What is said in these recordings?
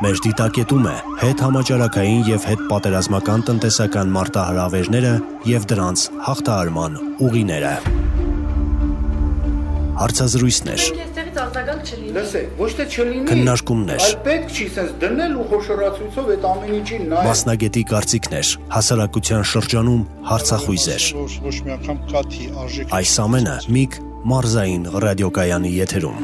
Մեր դիտակետում է հետհամաճարակային եւ հետպատերազմական տնտեսական մարտահրավերները եւ դրանց հաղթահարման ուղիները։ Հարցազրույցներ, քննարկումներ, մասնագետի կարծիքներ, հասարակության շրջանում հարցախույզեր։ Այս ամենը Միգ Մարզային ռադիոկայանի եթերում։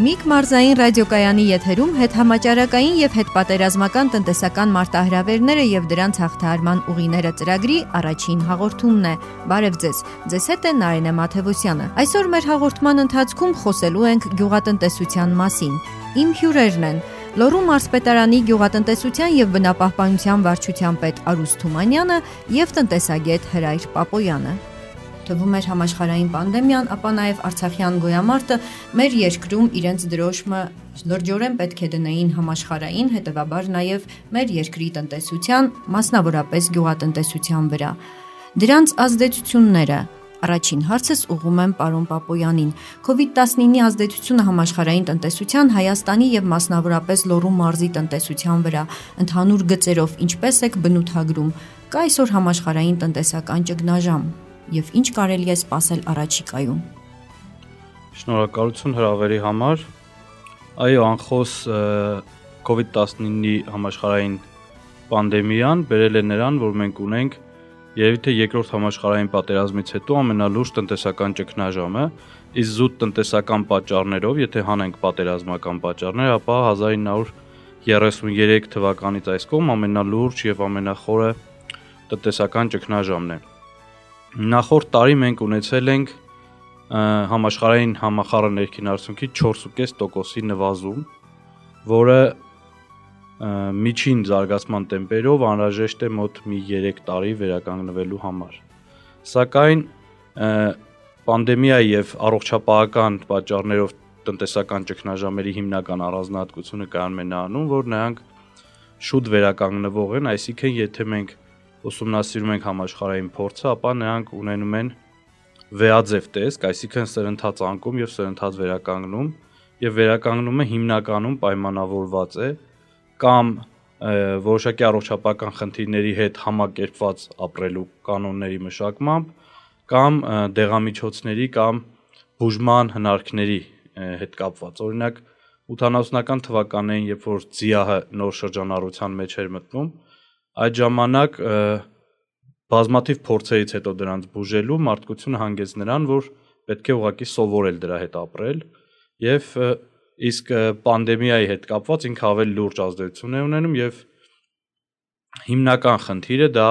Միգ Մարզային ռադիոկայանի եթերում հետհամաճարակային եւ հետպատերազմական տնտեսական մարտահրավերները եւ դրանց հաղթահարման ուղիները ծրագրի առաջին հաղորդումն է։ Բարև ձեզ։ Ձեզ հետ է Նարինե Մաթևոսյանը։ Այսօր մեր հաղորդման ընթացքում խոսելու ենք գյուղատնտեսության մասին։ Իմ հյուրերն են Լոռու մարզպետարանի գյուղատնտեսության եւ բնապահպանության վարչության պետ Արուս Թումանյանը եւ տնտեսագետ Հրայր Պապոյանը։ Թվում էր համաշխարհային պանդեմիան, ապա նաև արցախյան գոյամարտը մեր երկրում իրենց դրոշմը լրջորեն պետք է դնեին համաշխարհային, հետևաբար նաև մեր երկրի տնտեսության, մասնավորապես գյուղատնտեսության վրա։ Դրանց ազդեցությունները առաջին հարցս ուղղում եմ պարոն Պապոյանին։ COVID-19-ի ազդեցությունը համաշխարհային տնտեսության, Հայաստանի եւ մասնավորապես Լոռու մարզի տնտեսության վրա ընդհանուր գծերով ինչպես եք բնութագրում։ Կա այսօր համաշխարհային տնտեսական ճգնաժամ։ Եվ ինչ կարելի է սպասել առաջիկայում։ Շնորհակալություն հրավերի համար։ Այո, անխոս COVID-19-ի համաշխարհային պանդեմիան բերել է նրան, որ մենք ունենք երևի թե երկրորդ համաշխարհային պատերազմից հետո ամենալուրջ տնտեսական ճգնաժամը, իսկ զուտ տնտեսական պատճառներով, եթե հանենք պատերազմական պատճառներ, ապա 1933 թվականից այս կողմ ամենալուրջ եւ ամենախորը տնտեսական ճգնաժամն է։ Նախորդ տարի մենք ունեցել ենք համաշխարհային համախառն ներքին արդյունքի 4.5%-ի նվազում, որը միջին զարգացման տեմպերով անհրաժեշտ է մոտ մի 3 տարի վերականգնվելու համար։ Սակայն պանդեմիայի եւ առողջապահական պատճառներով տնտեսական ճգնաժամերի հիմնական առանձնահատկությունը կայանում է նրանում, որ նրանք շուտ վերականգնվող են, այսինքն եթե մենք ուսումնասիրում ենք համաշխարհային փորձը, ապա նրանք ունենում են վեաձև տեսք, այսինքն սրընթաց անկում եւ սրընթաց վերականգնում, եւ վերականգնումը հիմնականում պայմանավորված է կամ որոշակի առողջապահական խնդիրների հետ համակերպված ապրելու կանոնների մշակմամբ, կամ դեղամիջոցների կամ բուժման հնարքների հետ կապված։ Օրինակ 80-ական թվականներին, երբ որ ՁԻԱՀ-ը նոր շրջանառության մեջ էր մտնում, այդ ժամանակ բազմաթիվ փորձերից հետո դրանց բուժելու մարդկությունը հանգեց նրան, որ պետք է ուղղակի սովորել դրա հետ ապրել, եւ իսկ պանդեմիայի հետ կապված ինքը ավելի լուրջ ազդեցություն է ունենում եւ հիմնական խնդիրը դա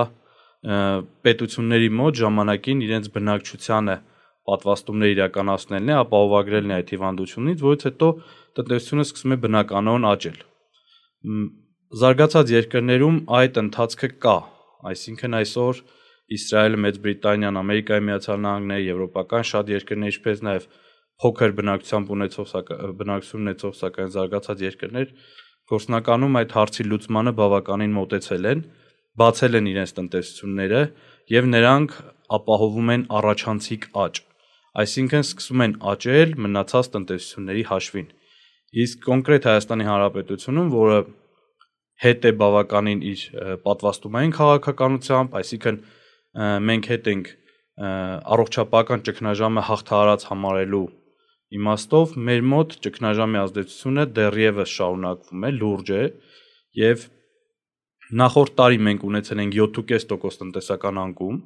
պետությունների մոտ ժամանակին իրենց բնակչությանը պատվաստումներ իրականացնելն է, ապահովագրելն է այդ հիվանդությունից, որից հետո տնտեսությունը սկսում է բնականon աճել։ Զարգացած երկրներում այդ ընթացքը կա, այսինքն այսօր Իսրայելը, Մեծ Բրիտանիան, Ամերիկայի Միացյալ Նահանգները, եվրոպական շատ երկրներ, ինչպես նաև փոքր բնակչություն ունեցող սակայն զարգացած երկրներ գործնականում այդ հարցի լուծմանը բավականին մոտեցել են, բացել են իրենց տնտեսությունները եւ նրանք ապահովում են առաջանցիկ աճ, այսինքն սկսում են աճել մնացած տնտեսությունների հաշվին։ Իսկ կոնկրետ Հայաստանի Հանրապետությունում, որը հետ է բավականին իր պատվաստումային քաղաքականությամբ, այսինքն մենք հետ ենք առողջապահական ճգնաժամը հաղթահարած համարելու իմաստով, մեր մոտ ճգնաժամի ազդեցությունը դեռևս շարունակվում է, լուրջ է եւ նախորդ տարի մենք ունեցել ենք 7.5% տնտեսական անկում,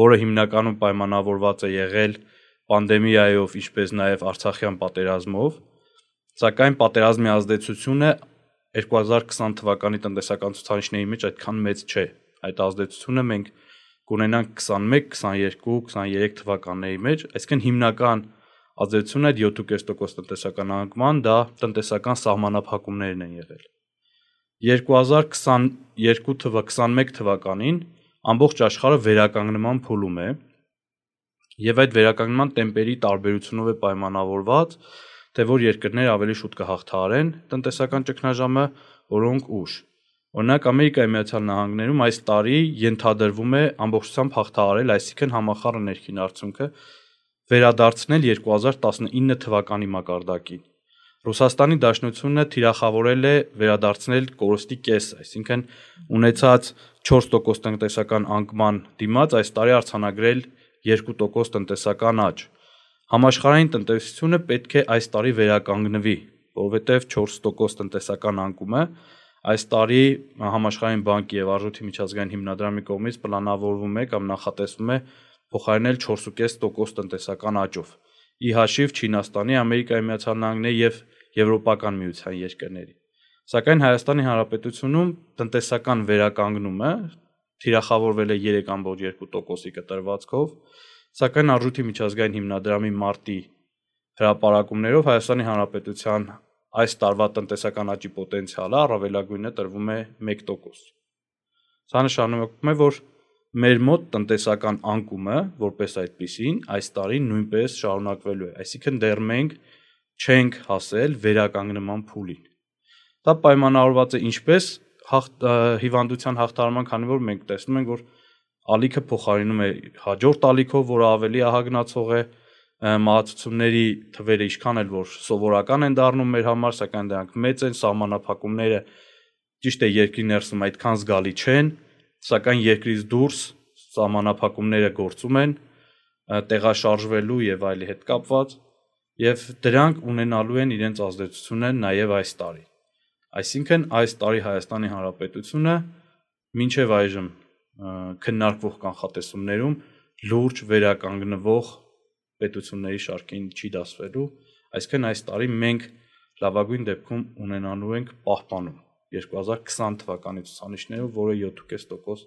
որը հիմնականում պայմանավորված է եղել պանդեմիայով, ինչպես նաեւ արցախյան պատերազմով, սակայն պատերազմի ազդեցությունը 2020 թվականի տնտեսական ցուցանիշների մեջ այդքան մեծ չէ։ Այդ ազդեցությունը մենք կունենանք 21, 22, 23 թվականների մեջ, այսինքն հիմնական ազդեցությունը այդ 7.5% տնտեսական անկման դա տնտեսական սահմանափակումներն են եղել։ 2022-21 թվականին ամբողջ աշխարհը վերականգնման փուլում է եւ այդ վերականգնման տեմպերի տարբերությունով է պայմանավորված, թե որ երկրները ավելի շուտ կհաղթահարեն տնտեսական ճգնաժամը, որոնք ուշ։ Օրինակ Ամերիկայի Միացյալ Նահանգներում այս տարի ենթադրվում է ամբողջությամբ հաղթահարել, այսինքն համախառն ներքին արդյունքը վերադարձնել 2019 թվականի մակարդակին։ Ռուսաստանի Դաշնությունը թիրախավորել է վերադարձնել կորստի կեսը, այսինքն ունեցած 4% տնտեսական անկման դիմաց այս տարի արձանագրել 2% տնտեսական աճ։ Համաշխարհային տնտեսությունը պետք է այս տարի վերականգնվի, որովհետև 4% տնտեսական անկումը այս տարի Համաշխարհային բանկի եւ Արժույթի միջազգային հիմնադրամի կողմից պլանավորվում է կամ նախատեսվում է փոխարինել 4.5% տնտեսական աճով։ Ի հաշիվ Չինաստանի, Ամերիկայի Միացյալ Նահանգների եւ Եվրոպական միության երկրների։ Սակայն Հայաստանի Հանրապետությունում տնտեսական վերականգնումը թիրախավորվել է 3.2%-ի կտրվածքով, սակայն Արժույթի միջազգային հիմնադրամի մարտի հրապարակումներով Հայաստանի Հանրապետության այս տարվա տնտեսական աճի պոտենցիալը առավելագույնը տրվում է 1%։ Սա նշանակում է, որ մեր մոտ տնտեսական անկումը, որպես այդպիսին, այս տարի նույնպես շարունակվելու է, այսինքն դեռ մենք չենք հասել վերականգնման փուլին։ Դա պայմանավորված է ինչպես հիվանդության հաղթահարման, քանի որ մենք տեսնում ենք, որ ալիքը փոխարինում է հաջորդ ալիքով, որը ավելի ահագնացող է, մահացությունների թվերը ինչքան էլ որ սովորական են դառնում մեր համար, սակայն դրանք մեծ են, սահմանափակումները ճիշտ է երկրի ներսում այդքան զգալի չեն, սակայն երկրից դուրս սահմանափակումները գործում են տեղաշարժվելու եւ այլի հետ կապված, եւ դրանք ունենալու են իրենց ազդեցությունը նաեւ այս տարի։ Այսինքն այս տարի Հայաստանի Հանրապետությունը մինչեւ այժմ քննարկվող կանխատեսումներում լուրջ վերականգնվող պետությունների շարքին չի դասվելու, այսինքն այս տարի մենք լավագույն դեպքում ունենալու ենք պահպանում 2020 թվականի ցուցանիշներով, որը 7.5%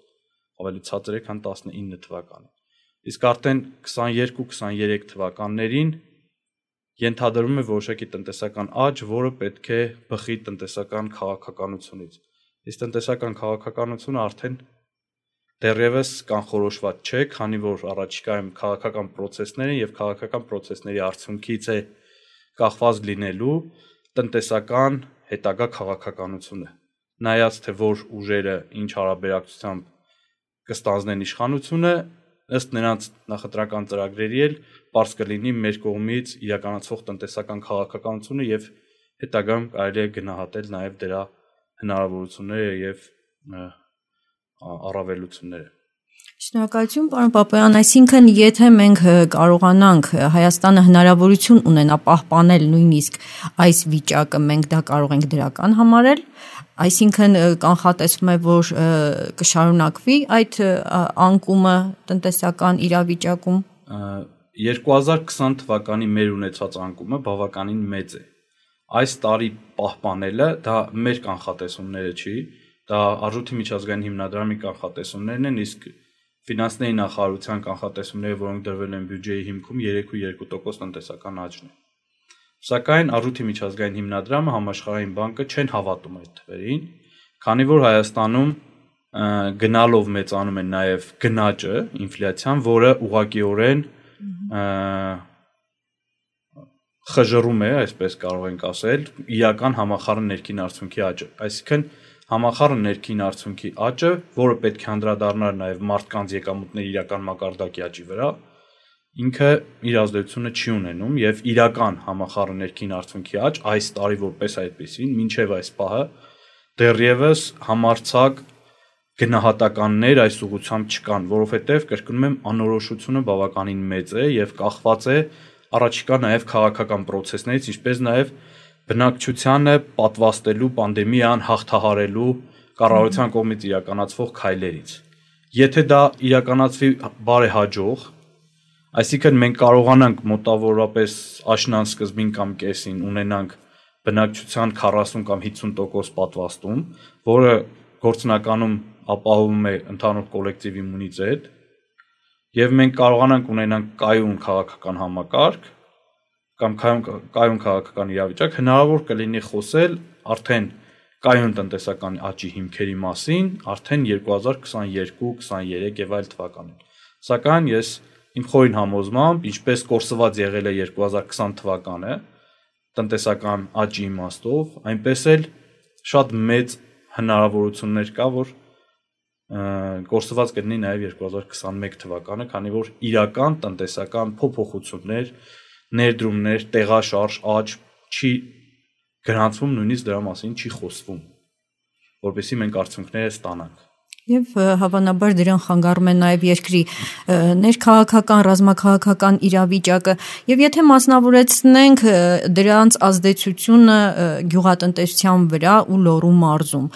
ավելի ցածր է, քան 19 թվականին։ Իսկ արդեն 22-23 թվականներին ենթադրվում է որոշակի տնտեսական աճ, որը պետք է բխի տնտեսական քաղաքականությունից։ Իսկ տնտեսական քաղաքականությունը արդեն դեռևս կանխորոշված չէ, քանի որ առաջիկայում քաղաքական process-ներ են եւ քաղաքական process-ների արդյունքից է կախված լինելու տնտեսական հետագա քաղաքականությունը։ Նայած թե որ ուժերը ինչ հարաբերակցությամբ կստանձնեն իշխանությունը, ըստ նրանց նախընտրական ծրագրերի էլ պարզ կլինի մեր կողմից իրականացվող տնտեսական քաղաքականությունը եւ հետագայում կարելի է գնահատել նաեւ դրա հնարավորությունները եւ առավելությունները։ Շնորհակալություն, պարոն Պապայան, այսինքն եթե մենք կարողանանք Հայաստանը հնարավորություն ունենա պահպանել նույնիսկ այս վիճակը, մենք դա կարող ենք դրական համարել, այսինքն կանխատեսվում է, որ կշարունակվի այդ անկումը տնտեսական իրավիճակում։ 2020 թվականի մեր ունեցած անկումը բավականին մեծ է։ Այս տարի պահպանելը դա մեր կանխատեսումները չի, դա Արժույթի միջազգային հիմնադրամի կանխատեսումներն են, իսկ ֆինանսների նախարարության կանխատեսումները, որոնք դրվել են բյուջեի հիմքում 3.2% տնտեսական աճն է։ Սակայն Արժույթի միջազգային հիմնադրամը, Համաշխարհային բանկը չեն հավատում այդ թվերին, քանի որ Հայաստանում գնալով մեծանում է նաև գնաճը, ինֆլյացիան, որը ուղղակիորեն խժռում է, այսպես կարող ենք ասել, իրական համախառն ներքին արդյունքի աճը։ Այսինքն համախառն ներքին արդյունքի աճը, որը պետք է անդրադառնար նաև մարդկանց եկամուտների իրական մակարդակի աճի վրա, ինքը իր ազդեցությունը չի ունենում եւ իրական համախառն ներքին արդյունքի աճ այս տարի որպես այդպեսին, մինչեւ այս պահը դեռևս համարցակ գնահատականներ այս ուղղությամբ չկան, որովհետեւ կրկնում եմ, անորոշությունը բավականին մեծ է եւ կախված է առաջիկա նաև քաղաքական process-ներից, ինչպես նաև բնակչությանը պատվաստելու պանդեմիան հաղթահարելու կառավարության կողմից իրականացվող քայլերից։ Եթե դա իրականացվի բարեհաջող, այսինքն մենք կարողանանք մոտավորապես աշնան սկզբին կամ կեսին ունենանք բնակչության 40 կամ 50% պատվաստում, որը գործնականում ապահովում է ընդհանուր կոլեկտիվ իմունիտետ, եւ մենք կարողանանք ունենանք կայուն քաղաքական համակարգ կամ կայուն քաղաքական իրավիճակ, հնարավոր կլինի խոսել արդեն կայուն տնտեսական աճի հիմքերի մասին, արդեն 2022-23 եւ այլ թվականին։ Սակայն ես իմ խորին համոզմամբ, ինչպես կորսված եղել է 2020 թվականը տնտեսական աճի իմաստով, այնպես էլ շատ մեծ հնարավորություններ կա, որ կորսված կլինի նաև 2021 թվականը, քանի որ իրական տնտեսական փոփոխություններ, ներդրումներ, տեղաշարժ, աճ չի գրանցվում, նույնիսկ դրա մասին չի խոսվում, որպեսզի մենք արդյունքները ստանանք։ Եվ հավանաբար դրան խանգարում է նաև երկրի ներքաղաքական, ռազմաքաղաքական իրավիճակը, եւ եթե մասնավորեցնենք դրանց ազդեցությունը գյուղատնտեսության վրա ու Լոռու մարզում,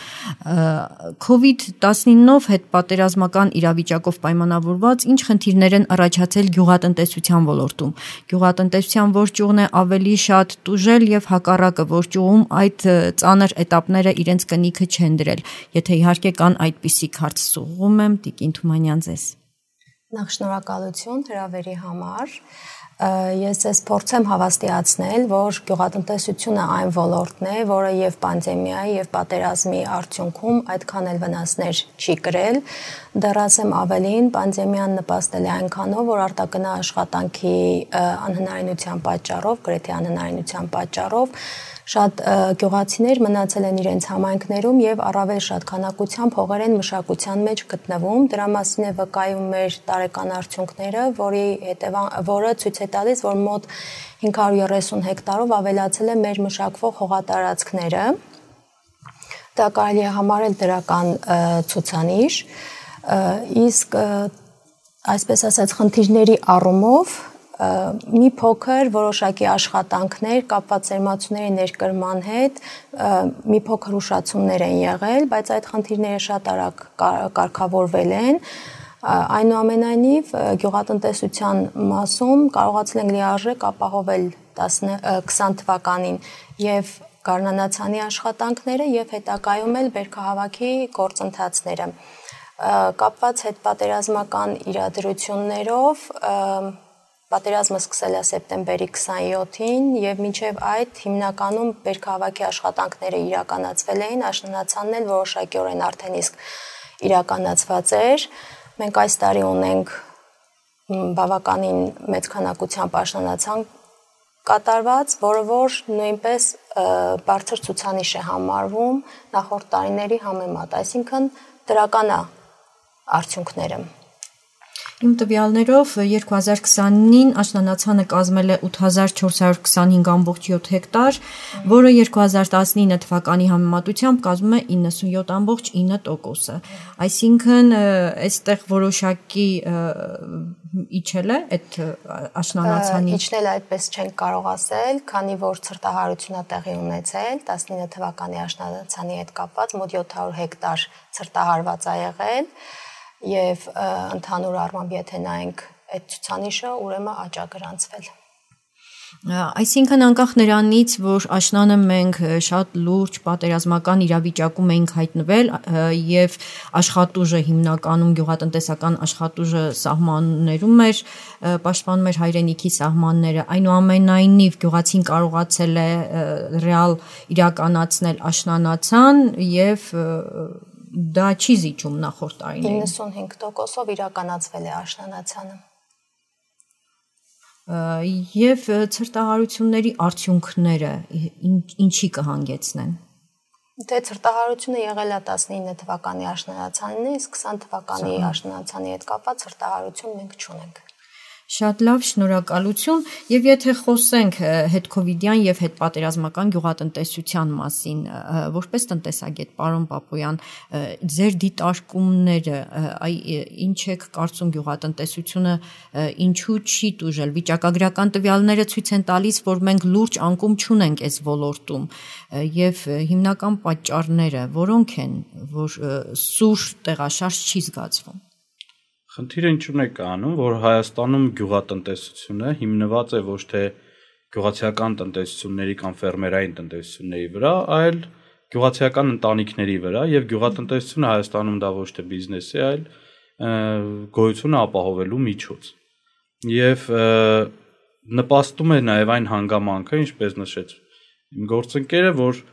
COVID-19-ով հետ պատերազմական իրավիճակով պայմանավորված ինչ խնդիրներ են առաջացել գյուղատնտեսության ոլորտում։ Գյուղատնտեսության որ ճյուղն է ավելի շատ տուժել եւ հակառակը որ ճյուղում այդ ծանր էտապները իրենց կնիքը չեն դրել։ Եթե իհարկե կան այդպիսի հարց սուղում եմ Տիկին Թումանյան ձեզ։ Նախ շնորհակալություն հրավերի համար։ Ես ես փորձեմ հավաստիացնել, որ գյուղատնտեսությունը այն ոլորտն է, որը եւ պանդեմիայի եւ պատերազմի արդյունքում այդքան էլ վնասներ չի կրել։ Դեռ ասեմ ավելին, պանդեմիան նպաստել է այնքանով, որ արտակնա աշխատանքի անհնարինության պատճառով, գրեթե անհնարինության պատճառով շատ գյուղացիներ մնացել են իրենց համայնքներում եւ առավել շատ քանակությամբ հողերեն մշակության մեջ գտնվում։ Դրա մասին է վկայում մեր տարեկան արդյունքները, որը ցույց է տալիս, որ մոտ 530 հեկտարով ավելացել է մեր մշակվող հողատարածքները։ Դա կարելի է համարել դրական ցուցանիշ, իսկ այսպես ասած խնդիրների առումով մի փոքր որոշակի աշխատանքներ կապված ծերմացուների ներկրման հետ մի փոքր ուշացումներ են եղել, բայց այդ խնդիրները շատ արագ կարգավորվել են։ Այնուամենայնիվ գյուղատնտեսության մասում կարողացել ենք լիարժեք ապահովել 20 թվականին եւ գարնանացանի աշխատանքները եւ հետագայում էլ բերքահավաքի գործընթացները։ Կապված հետպատերազմական իրադրություններով պատերազմը սկսել է սեպտեմբերի 27-ին եւ մինչեւ այդ հիմնականում բերքահավաքի աշխատանքները իրականացվել էին, աշնանացանն էլ որոշակիորեն արդեն իսկ իրականացված էր։ Մենք այս տարի ունենք բավականին մեծ քանակությամբ աշնանացան կատարված, որը որ նույնպես բարձր ցուցանիշ է համարվում նախորդ տարիների համեմատ, այսինքն դրական է արդյունքները։ Իմ տվյալներով 2020-ին աշնանացանը կազմել է 8425.7 հեկտար, որը 2019 թվականի համեմատությամբ կազմում է 97.9%։ Այսինքն այստեղ որոշակի իջել է այդ աշնանացանի։ Իջնել այդպես չենք կարող ասել, քանի որ ցրտահարությունը տեղի ունեցել 19 թվականի աշնանացանի հետ կապված մոտ 700 հեկտար ցրտահարված է եղել։ Եվ ընդհանուր առմամբ եթե նայենք այդ ցուցանիշը, ուրեմն աճ է գրանցվել։ Այսինքն անկախ նրանից, որ աշնանը մենք շատ լուրջ պատերազմական իրավիճակում էինք հայտնվել եւ աշխատուժը հիմնականում գյուղատնտեսական աշխատուժը սահմաններում էր, պաշտպանում էր հայրենիքի սահմանները, այնուամենայնիվ գյուղացին կարողացել է ռեալ իրականացնել աշնանացան եւ դա չի զիջում նախորդ տարիներին։ 95%-ով իրականացվել է աշնանացանը։ Եվ ցրտահարությունների արդյունքները ինչի կհանգեցնեն։ Դե ցրտահարությունը եղել է 19 թվականի աշնանացանին, իսկ 20 թվականի աշնանացանի հետ կապված ցրտահարություն մենք չունենք։ Շատ լավ, շնորհակալություն, եւ եթե խոսենք հետքովիդյան եւ հետպատերազմական գյուղատնտեսության մասին, որպես տնտեսագետ, պարոն Պապոյան, ձեր դիտարկումները, ինչ եք կարծում գյուղատնտեսությունը ինչու չի տուժել։ Վիճակագրական տվյալները ցույց են տալիս, որ մենք լուրջ անկում չունենք այս ոլորտում եւ հիմնական պատճառները որոնք են, որ սուր տեղաշարժ չի զգացվում։ Խնդիրը ինչու՞ն է կանում, որ Հայաստանում գյուղատնտեսությունը հիմնված է ոչ թե գյուղացիական տնտեսությունների կամ ֆերմերային տնտեսությունների վրա, այլ գյուղացիական ընտանիքների վրա եւ գյուղատնտեսությունը Հայաստանում դա ոչ թե բիզնես է, այլ գոյությունը ապահովելու միջոց։ Եվ նպաստում է նաեւ այն հանգամանքը, ինչպես նշեց իմ գործընկերը, որ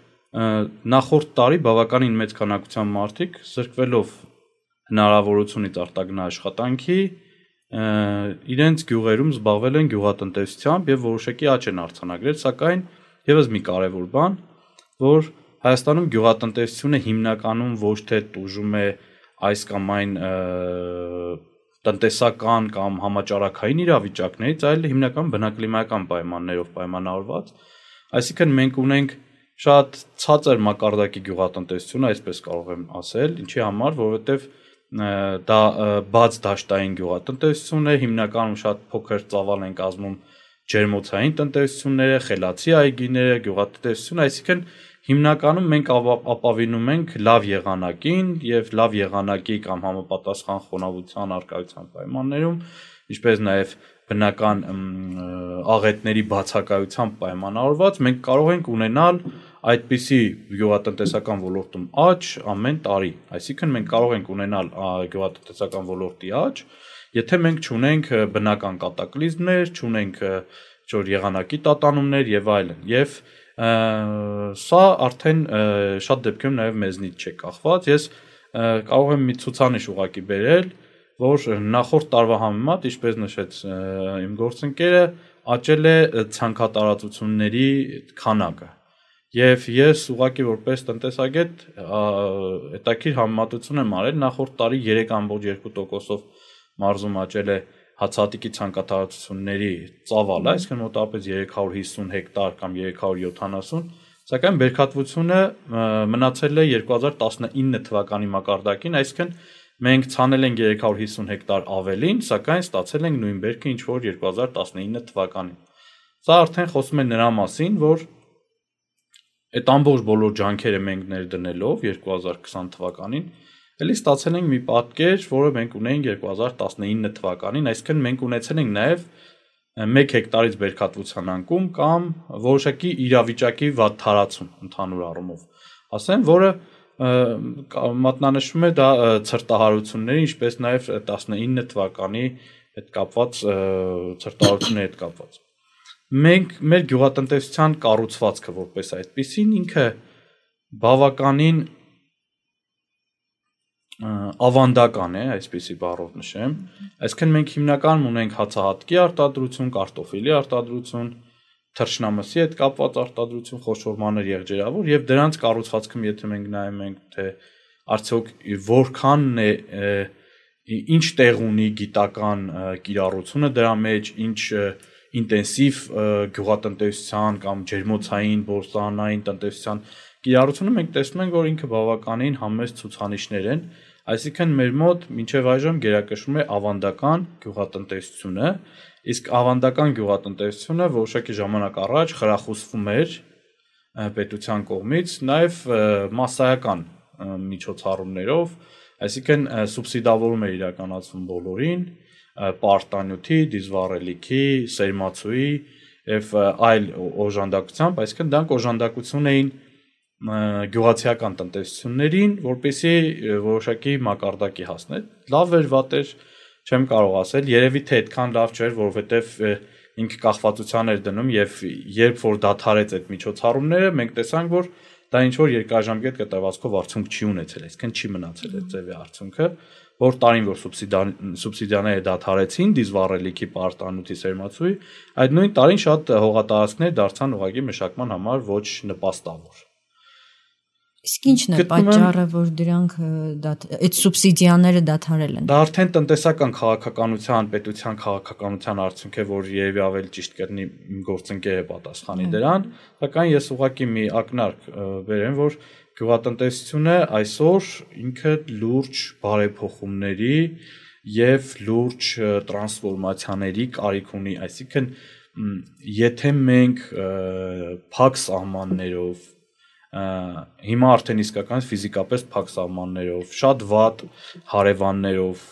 նախորդ տարի բավականին մեծ քանակությամբ մարդիկ զրկվելով հնարավորությունից արտագնա աշխատանքի իրենց գյուղերում զբաղվել են գյուղատնտեսությամբ եւ որոշակի աճ են արձանագրել, սակայն եւս մի կարեւոր բան, որ Հայաստանում գյուղատնտեսությունը հիմնականում ոչ թե տուժում է այս կամ այն տնտեսական կամ համաճարակային իրավիճակներից, այլ հիմնական բնակլիմայական պայմաններով պայմանավորված։ Այսինքն մենք ունենք շատ ցածր մակարդակի գյուղատնտեսություն, այսպես կարող եմ ասել, ինչի համար, որովհետև դա բաց դաշտային գյուղատնտեսություն է, հիմնականում շատ փոքր ծավալ են կազմում ջերմոցային տնտեսությունները, խելացի այգիները, գյուղատնտեսությունը, այսինքն հիմնականում մենք ապավինում ենք լավ եղանակին եւ լավ եղանակի կամ համապատասխան խոնավության արկայության պայմաններում, ինչպես նաեւ բնական աղետների բացակայության պայմանավորված մենք կարող ենք ունենալ այդպիսի գյուղատնտեսական ոլորտում աճ ամեն տարի, այսինքն մենք կարող ենք ունենալ գյուղատնտեսական ոլորտի աճ, եթե մենք չունենք բնական կատակլիզմներ, չունենք եղանակի տատանումներ եւ այլն, եւ սա արդեն շատ դեպքերում նաև մեզնից չէ կախված։ Ես կարող եմ մի ցուցանիշ ուղղակի բերել, որ նախորդ տարվա համեմատ, ինչպես նշեց իմ գործընկերը, աճել է ցանքատարածությունների քանակը։ Եվ ես ուղղակի որպես տնտեսագետ հետաքրքիր համեմատություն եմ արել, նախորդ տարի 3.2%-ով մարզում աճել է հացահատիկի ցանկատարածությունների ծավալը, այսինքն մոտավորապես 350 հեկտար կամ 370, սակայն բերքատվությունը մնացել է 2019 թվականի մակարդակին, այսինքն մենք ցանել ենք 350 հեկտար ավելին, սակայն ստացել ենք նույն բերքը, ինչ որ 2019 թվականին։ Սա արդեն խոսում է նրա մասին, որ այդ ամբողջ բոլոր ջանքերը մենք ներդնելով 2020 թվականին Էլի ստացել ենք մի պատկեր, որը մենք ունենք 2019 թվականին, այսինքն մենք ունեցել ենք նաև 1 հեկտարից բերքատվության անկում կամ որոշակի իրավիճակի վատ թարացում ընդհանուր առումով։ Ասեմ, որը մատնանշում է դա ցրտահարությունների, ինչպես նաև 19 թվականի հետ կապված ցրտահարությունների հետ կապված։ Մենք մեր գյուղատնտեսության կառուցվածքը որպես այդպեսին ինքը բավականին ավանդական է, այսպեսի բառով նշեմ, այսինքն մենք հիմնականում ունենք հացահատկի արտադրություն, կարտոֆիլի արտադրություն, թռչնամսի հետ կապված արտադրություն, խոշոր մանր եղջերավոր եւ դրանց կառուցվածքում եթե մենք նայում ենք թե արդյոք որքանն է ինչ տեղ ունի գիտական կիրառությունը դրա մեջ, ինչ ինտենսիվ գյուղատնտեսության կամ ջերմոցային, բորսանային տնտեսության կիրառությունը մենք տեսնում ենք, որ ինքը բավականին համեստ ցուցանիշներ են, այսինքն մեր մոտ մինչև այժմ գերակշռում է ավանդական գյուղատնտեսությունը, իսկ ավանդական գյուղատնտեսությունը որոշակի ժամանակ առաջ խրախուսվում էր պետության կողմից, նաև մասսայական միջոցառումներով, այսինքն սուբսիդավորում է իրականացվում բոլորին, պարտանյութի, դիզվառելիքի, սերմացուի եւ այլ օժանդակությամբ, այսինքն դրանք օժանդակություն էին գյուղացիական տնտեսություններին, որպեսզի որոշակի մակարդակի հասնել։ Լավ էր, վատ էր, չեմ կարող ասել, երևի թե այդքան լավ չէր, որովհետեւ ինքը կախվածության էր դնում եւ երբ որ դադարեց այդ միջոցառումները, մենք տեսանք, որ դա ինչ որ երկարաժամկետ կտրվածքով արդյունք չի ունեցել, այսինքն չի մնացել այդ ձևի արդյունքը, որ տարին որ սուբսիդիաները դադարեցին դիզվառելիքի պարտանյութի սերմացուի, այդ նույն տարին շատ հողատարածքներ դարձան ուղղակի մշակման համար ոչ նպաստավոր։ Իսկ ի՞նչն է պատճառը, որ դրանք այդ սուբսիդիաները դադարել են։ Դա արդեն տնտեսական քաղաքականության, պետության քաղաքականության արդյունք է, որ երևի ավելի ճիշտ կլինի գործընկերը պատասխանի դրան, սակայն ես ուղղակի մի ակնարկ բերեմ, որ գյուղատնտեսությունը այսօր ինքը լուրջ բարեփոխումների եւ լուրջ տրանսֆորմացիաների կարիք ունի, այսինքն եթե մենք փակ սահմաններով հիմա արդեն իսկական ֆիզիկապես փակ սահմաններով, շատ վատ հարևաններով,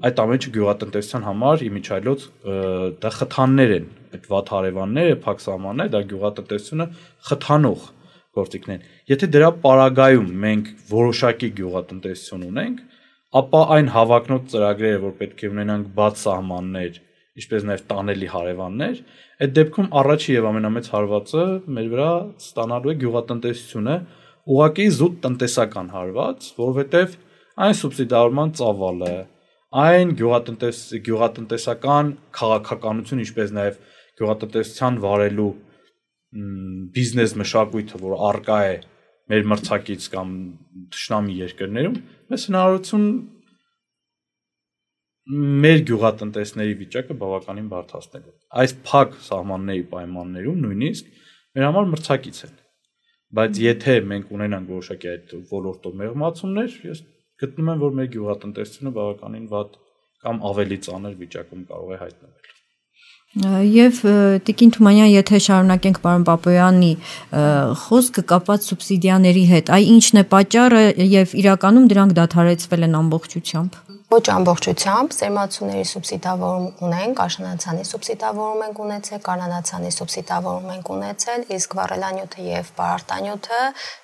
այդ ամենը գյուղատնտեսության համար իմիջիայլոց դա խթաններ են, այդ վատ հարևանները, փակ սահմանները, դա գյուղատնտեսությունը խթանող գործիքներ են։ Եթե դրա պարագայում մենք որոշակի գյուղատնտեսություն ունենք, ապա այն հավակնոտ ծրագրերը, որ պետք է ունենանք բաց սահմաններ, ինչպես նաև տանելի հարևաններ, այդ դեպքում առաջի եւ ամենամեծ հարվածը մեր վրա ստանալու է գյուղատնտեսությունը, ուղղակի զուտ տնտեսական հարված, որովհետեւ այն սուբսիդավորման ծավալը, այն գյուղատնտեսական քաղաքականություն, ինչպես նաև գյուղատնտեսության վարելու բիզնես մշակույթը, որ արկա է մեր մրցակից կամ թշնամի երկրներում մեզ հնարավորություն մեր գյուղատնտեսների վիճակը բավականին բարդացնելու։ Այս փակ սահմանների պայմաններում նույնիսկ մեր համար մրցակից են։ Բայց եթե մենք ունենանք որոշակի այդ ոլորտով մեղմացումներ, ես գտնում եմ, որ մեր գյուղատնտեսությունը բավականին վատ կամ ավելի ծանր վիճակում կարող է հայտնվել։ Եվ Տիկին Թումանյան, եթե շարունակենք պարոն Պապոյանի խոսքը կապված սուբսիդիաների հետ, այ ինչն է պատճառը եւ իրականում դրանք դադարեցվել են ամբողջությամբ։ Ոչ ամբողջությամբ, սերմացուների սուբսիդավորում ունենք, աշնանացանի սուբսիդավորում ենք ունեցել, կանանացանի սուբսիդավորում ենք ունեցել, իսկ վառելանյութը եւ պարարտանյութը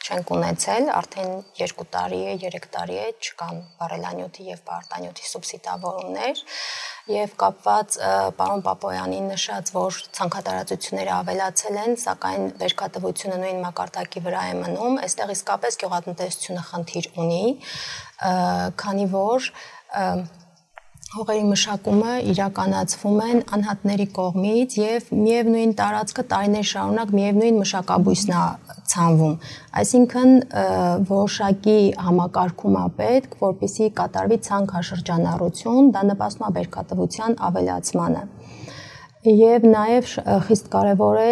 չենք ունեցել, արդեն 2 տարի է, 3 տարի է չկան վառելանյութի եւ պարարտանյութի սուբսիդավորումներ, եւ կապված պարոն Պապոյանի նշած, որ ցանքատարածությունները ավելացել են, սակայն վերքատվությունը նույն մակարդակի վրա է մնում, այստեղ իսկապես գյուղատնտեսությունը խնդիր ունի, քանի որ հողերի մշակումը իրականացվում են անհատների կողմից եւ միևնույն տարածքը տարիներ շարունակ միևնույն մշակաբույսն է ցանվում, այսինքն որոշակի համակարգում է պետք, որպեսզի կատարվի ցանքաշրջանառություն, դա նպաստում է բերքատվության ավելացմանը։ Եվ նաև խիստ կարևոր է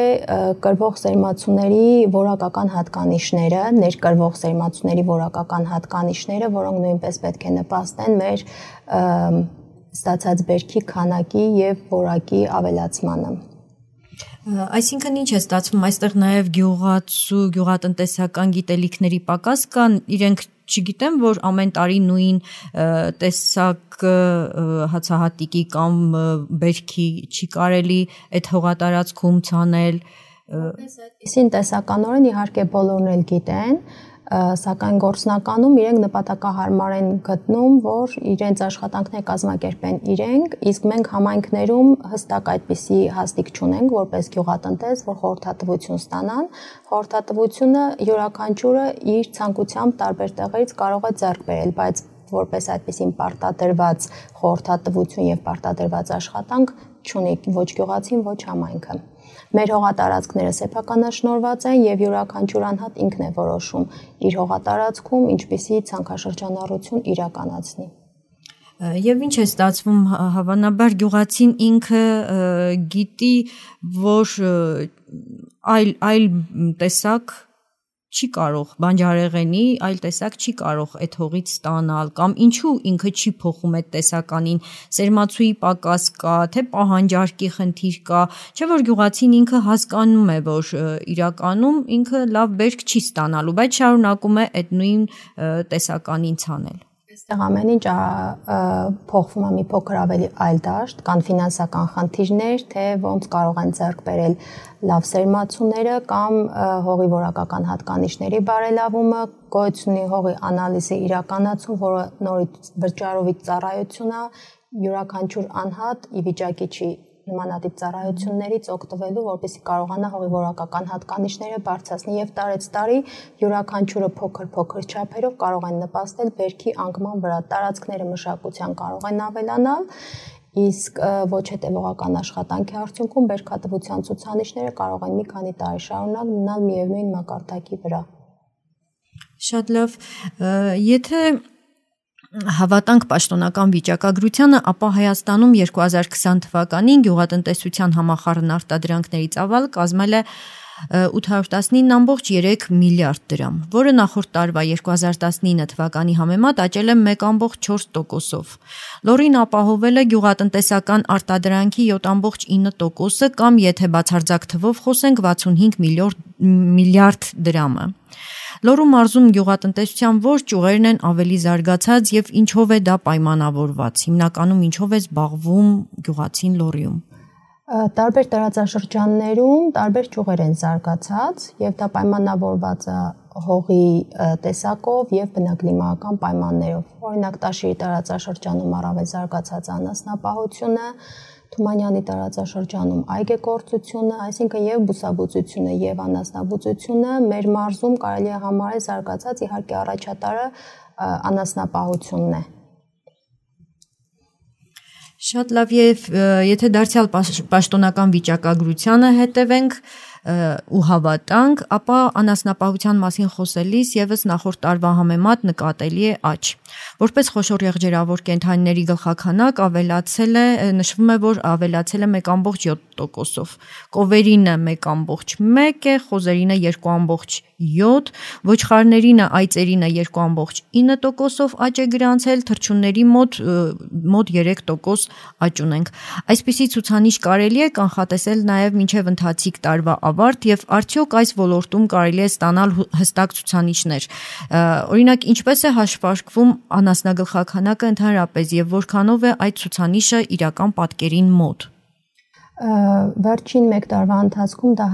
կրվող սերմացուների որակական հատկանիշները, ներկրվող սերմացուների որակական հատկանիշները, որոնք նույնպես պետք է նպաստեն մեր ստացած բերքի քանակի եւ որակի ավելացմանը։ Այսինքն ինչ է ստացվում, այստեղ նաև գյուղացու, գյուղատնտեսական գիտելիքների պակաս կան, իրենք չգիտեմ, որ ամեն տարի նույն տեսակ հացահատիկի կամ բերքի չի կարելի այդ հողատարածքում ցանել։ Այսին տեսականորեն իհարկե բոլորն էլ գիտեն, սակայն գործնականում իրենք նպատակահարմար են գտնում, որ իրենց աշխատանքները կազմակերպեն իրենք, իսկ մենք համայնքներում հստակ այդպիսի հաստիկ չունենք, որպես գյուղատնտես, որ խորհրդատվություն ստանան, խորհրդատվությունը յուրաքանչյուրը իր ցանկությամբ տարբեր տեղերից կարող է ձեռք բերել, բայց որպես այդպիսին պարտադրված խորհրդատվություն եւ պարտադրված աշխատանք չունի ոչ գյուղացին, ոչ համայնքը։ Մեր հողատարածքները սեփականաշնորհված են եւ յուրաքանչյուր անհատ ինքն է որոշում իր հողատարածքում ինչպիսի ցանքաշրջանառություն իրականացնի։ Եվ ինչ է ստացվում, հավանաբար գյուղացին ինքը գիտի, որ այլ տեսակ չի կարող բանջարեղենի, այլ տեսակ չի կարող այդ հողից ստանալ, կամ ինչու ինքը չի փոխում այդ տեսականին, սերմացուի պակաս կա, թե պահանջարկի խնդիր կա, չէ՞ որ գյուղացին ինքը հասկանում է, որ իրականում ինքը լավ բերք չի ստանալու, բայց շարունակում է այդ նույն տեսականին ցանել։ Այստեղ ամեն ինչ փոխվում է մի փոքր ավելի այլ դաշտ, կան ֆինանսական խնդիրներ, թե ոնց կարող են ձեռք բերել լավ սերմացուները կամ հողի որակական հատկանիշների բարելավումը, գոյությունի հողի անալիզի իրականացում, որը նորից վճարովի ծառայություն է, յուրաքանչյուր անհատ ի վիճակի չի նմանատիպ ծառայություններից օգտվելու, որպեսզի կարողանա հողի որակական հատկանիշները բարձրացնել եւ տարեցտարի յուրաքանչյուրը փոքր չափերով կարող են նպաստել բերքի անկման վրա, տարածքները մշակության կարող են ավելանալ, իսկ ոչ հետևողական աշխատանքի արդյունքում բերքատվության ցուցանիշները կարող են մի քանի տարի շարունակ մնալ միևնույն մակարդակի վրա։ Շատ լավ, եթե հավատանք պաշտոնական վիճակագրությանը, ապա Հայաստանում 2020 թվականին գյուղատնտեսության համախառն արտադրանքների ծավալը կազմել է 819.3 միլիարդ դրամ, որը նախորդ տարվա 2019 թվականի համեմատ աճել է 1.4%-ով։ Լոռին ապահովել է գյուղատնտեսական արտադրանքի 7.9%-ը կամ եթե բացարձակ թվով խոսենք 65 միլիարդ դրամը։ Լոռու մարզում գյուղատնտեսության որ ճյուղերն են ավելի զարգացած եւ ինչով է դա պայմանավորված։ Հիմնականում ինչով է զբաղվում գյուղացին Լոռիում։ Տարբեր տարածաշրջաններում տարբեր ճյուղեր են զարգացած եւ դա պայմանավորված է հողի տեսակով եւ բնակլիմայական պայմաններով։ Օրինակ Տաշիրի տարածաշրջանում առավել զարգացած անասնապահությունը, Թումանյանի տարածաշրջանում այգեգործությունը, այսինքն եւ բուսաբուծությունը եւ անասնաբուծությունը մեր մարզում կարելի է համարել զարգացած, իհարկե առաջատարը անասնապահությունն է։ Շատ լավ, եւ եթե դարձյալ պաշտոնական վիճակագրությանը հետևենք, ու հավատանք, ապա անասնապահության մասին խոսելիս եւս նախորդ տարվա համեմատ նկատելի է աճ։ Որպես խոշոր եղջերավոր կենդանիների գլխաքանակ նշվում է, որ ավելացել է 1.7%-ով։ Կովերինը 1.1 է, խոզերինը 2.7, ոչխարներինը, այծերինը 2.9%-ով աճ է գրանցել, թռչունների մոտ 3% աճ ունենք։ Այսպիսի ցուցանիշ կարելի է կանխատեսել նաև մինչև ընթացիկ տարվա ավարտ եւ արդյոք այս ոլորտում կարելի է ստանալ հստակ ցուցանիշներ։ Օրինակ, ինչպես է հաշվարկվում անասնագլխաքանակը ընդհանրապես եւ որքանով է այդ ցուցանիշը իրական պատկերին մոտ։ Վերջին 1 տարվա ընթացքում դա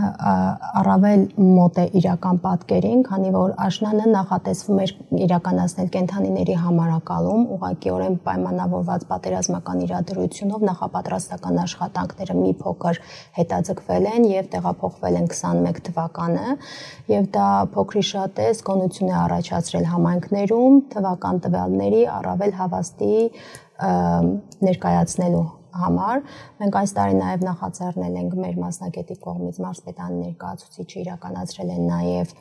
առավել մոտ է իրական պատկերին, քանի որ աշնանը նախատեսվում էր իրականացնել կենդանիների համարակալում, ուղղակիորեն պայմանավորված պատերազմական իրադրությունով նախապատրաստական աշխատանքները մի փոքր հետաձգվել են եւ տեղափոխվել են 21 թվականը, եւ դա փոքրիշատես գոնություն է առաջացրել համայնքներում թվական տվյալների առավել հավաստի ներկայացնելու համար։ Մենք այս տարի նաև նախաձեռնել ենք մեր մասնագետի կողմից մարզպետանի ներկայացուցիչը իրականացրել են նաև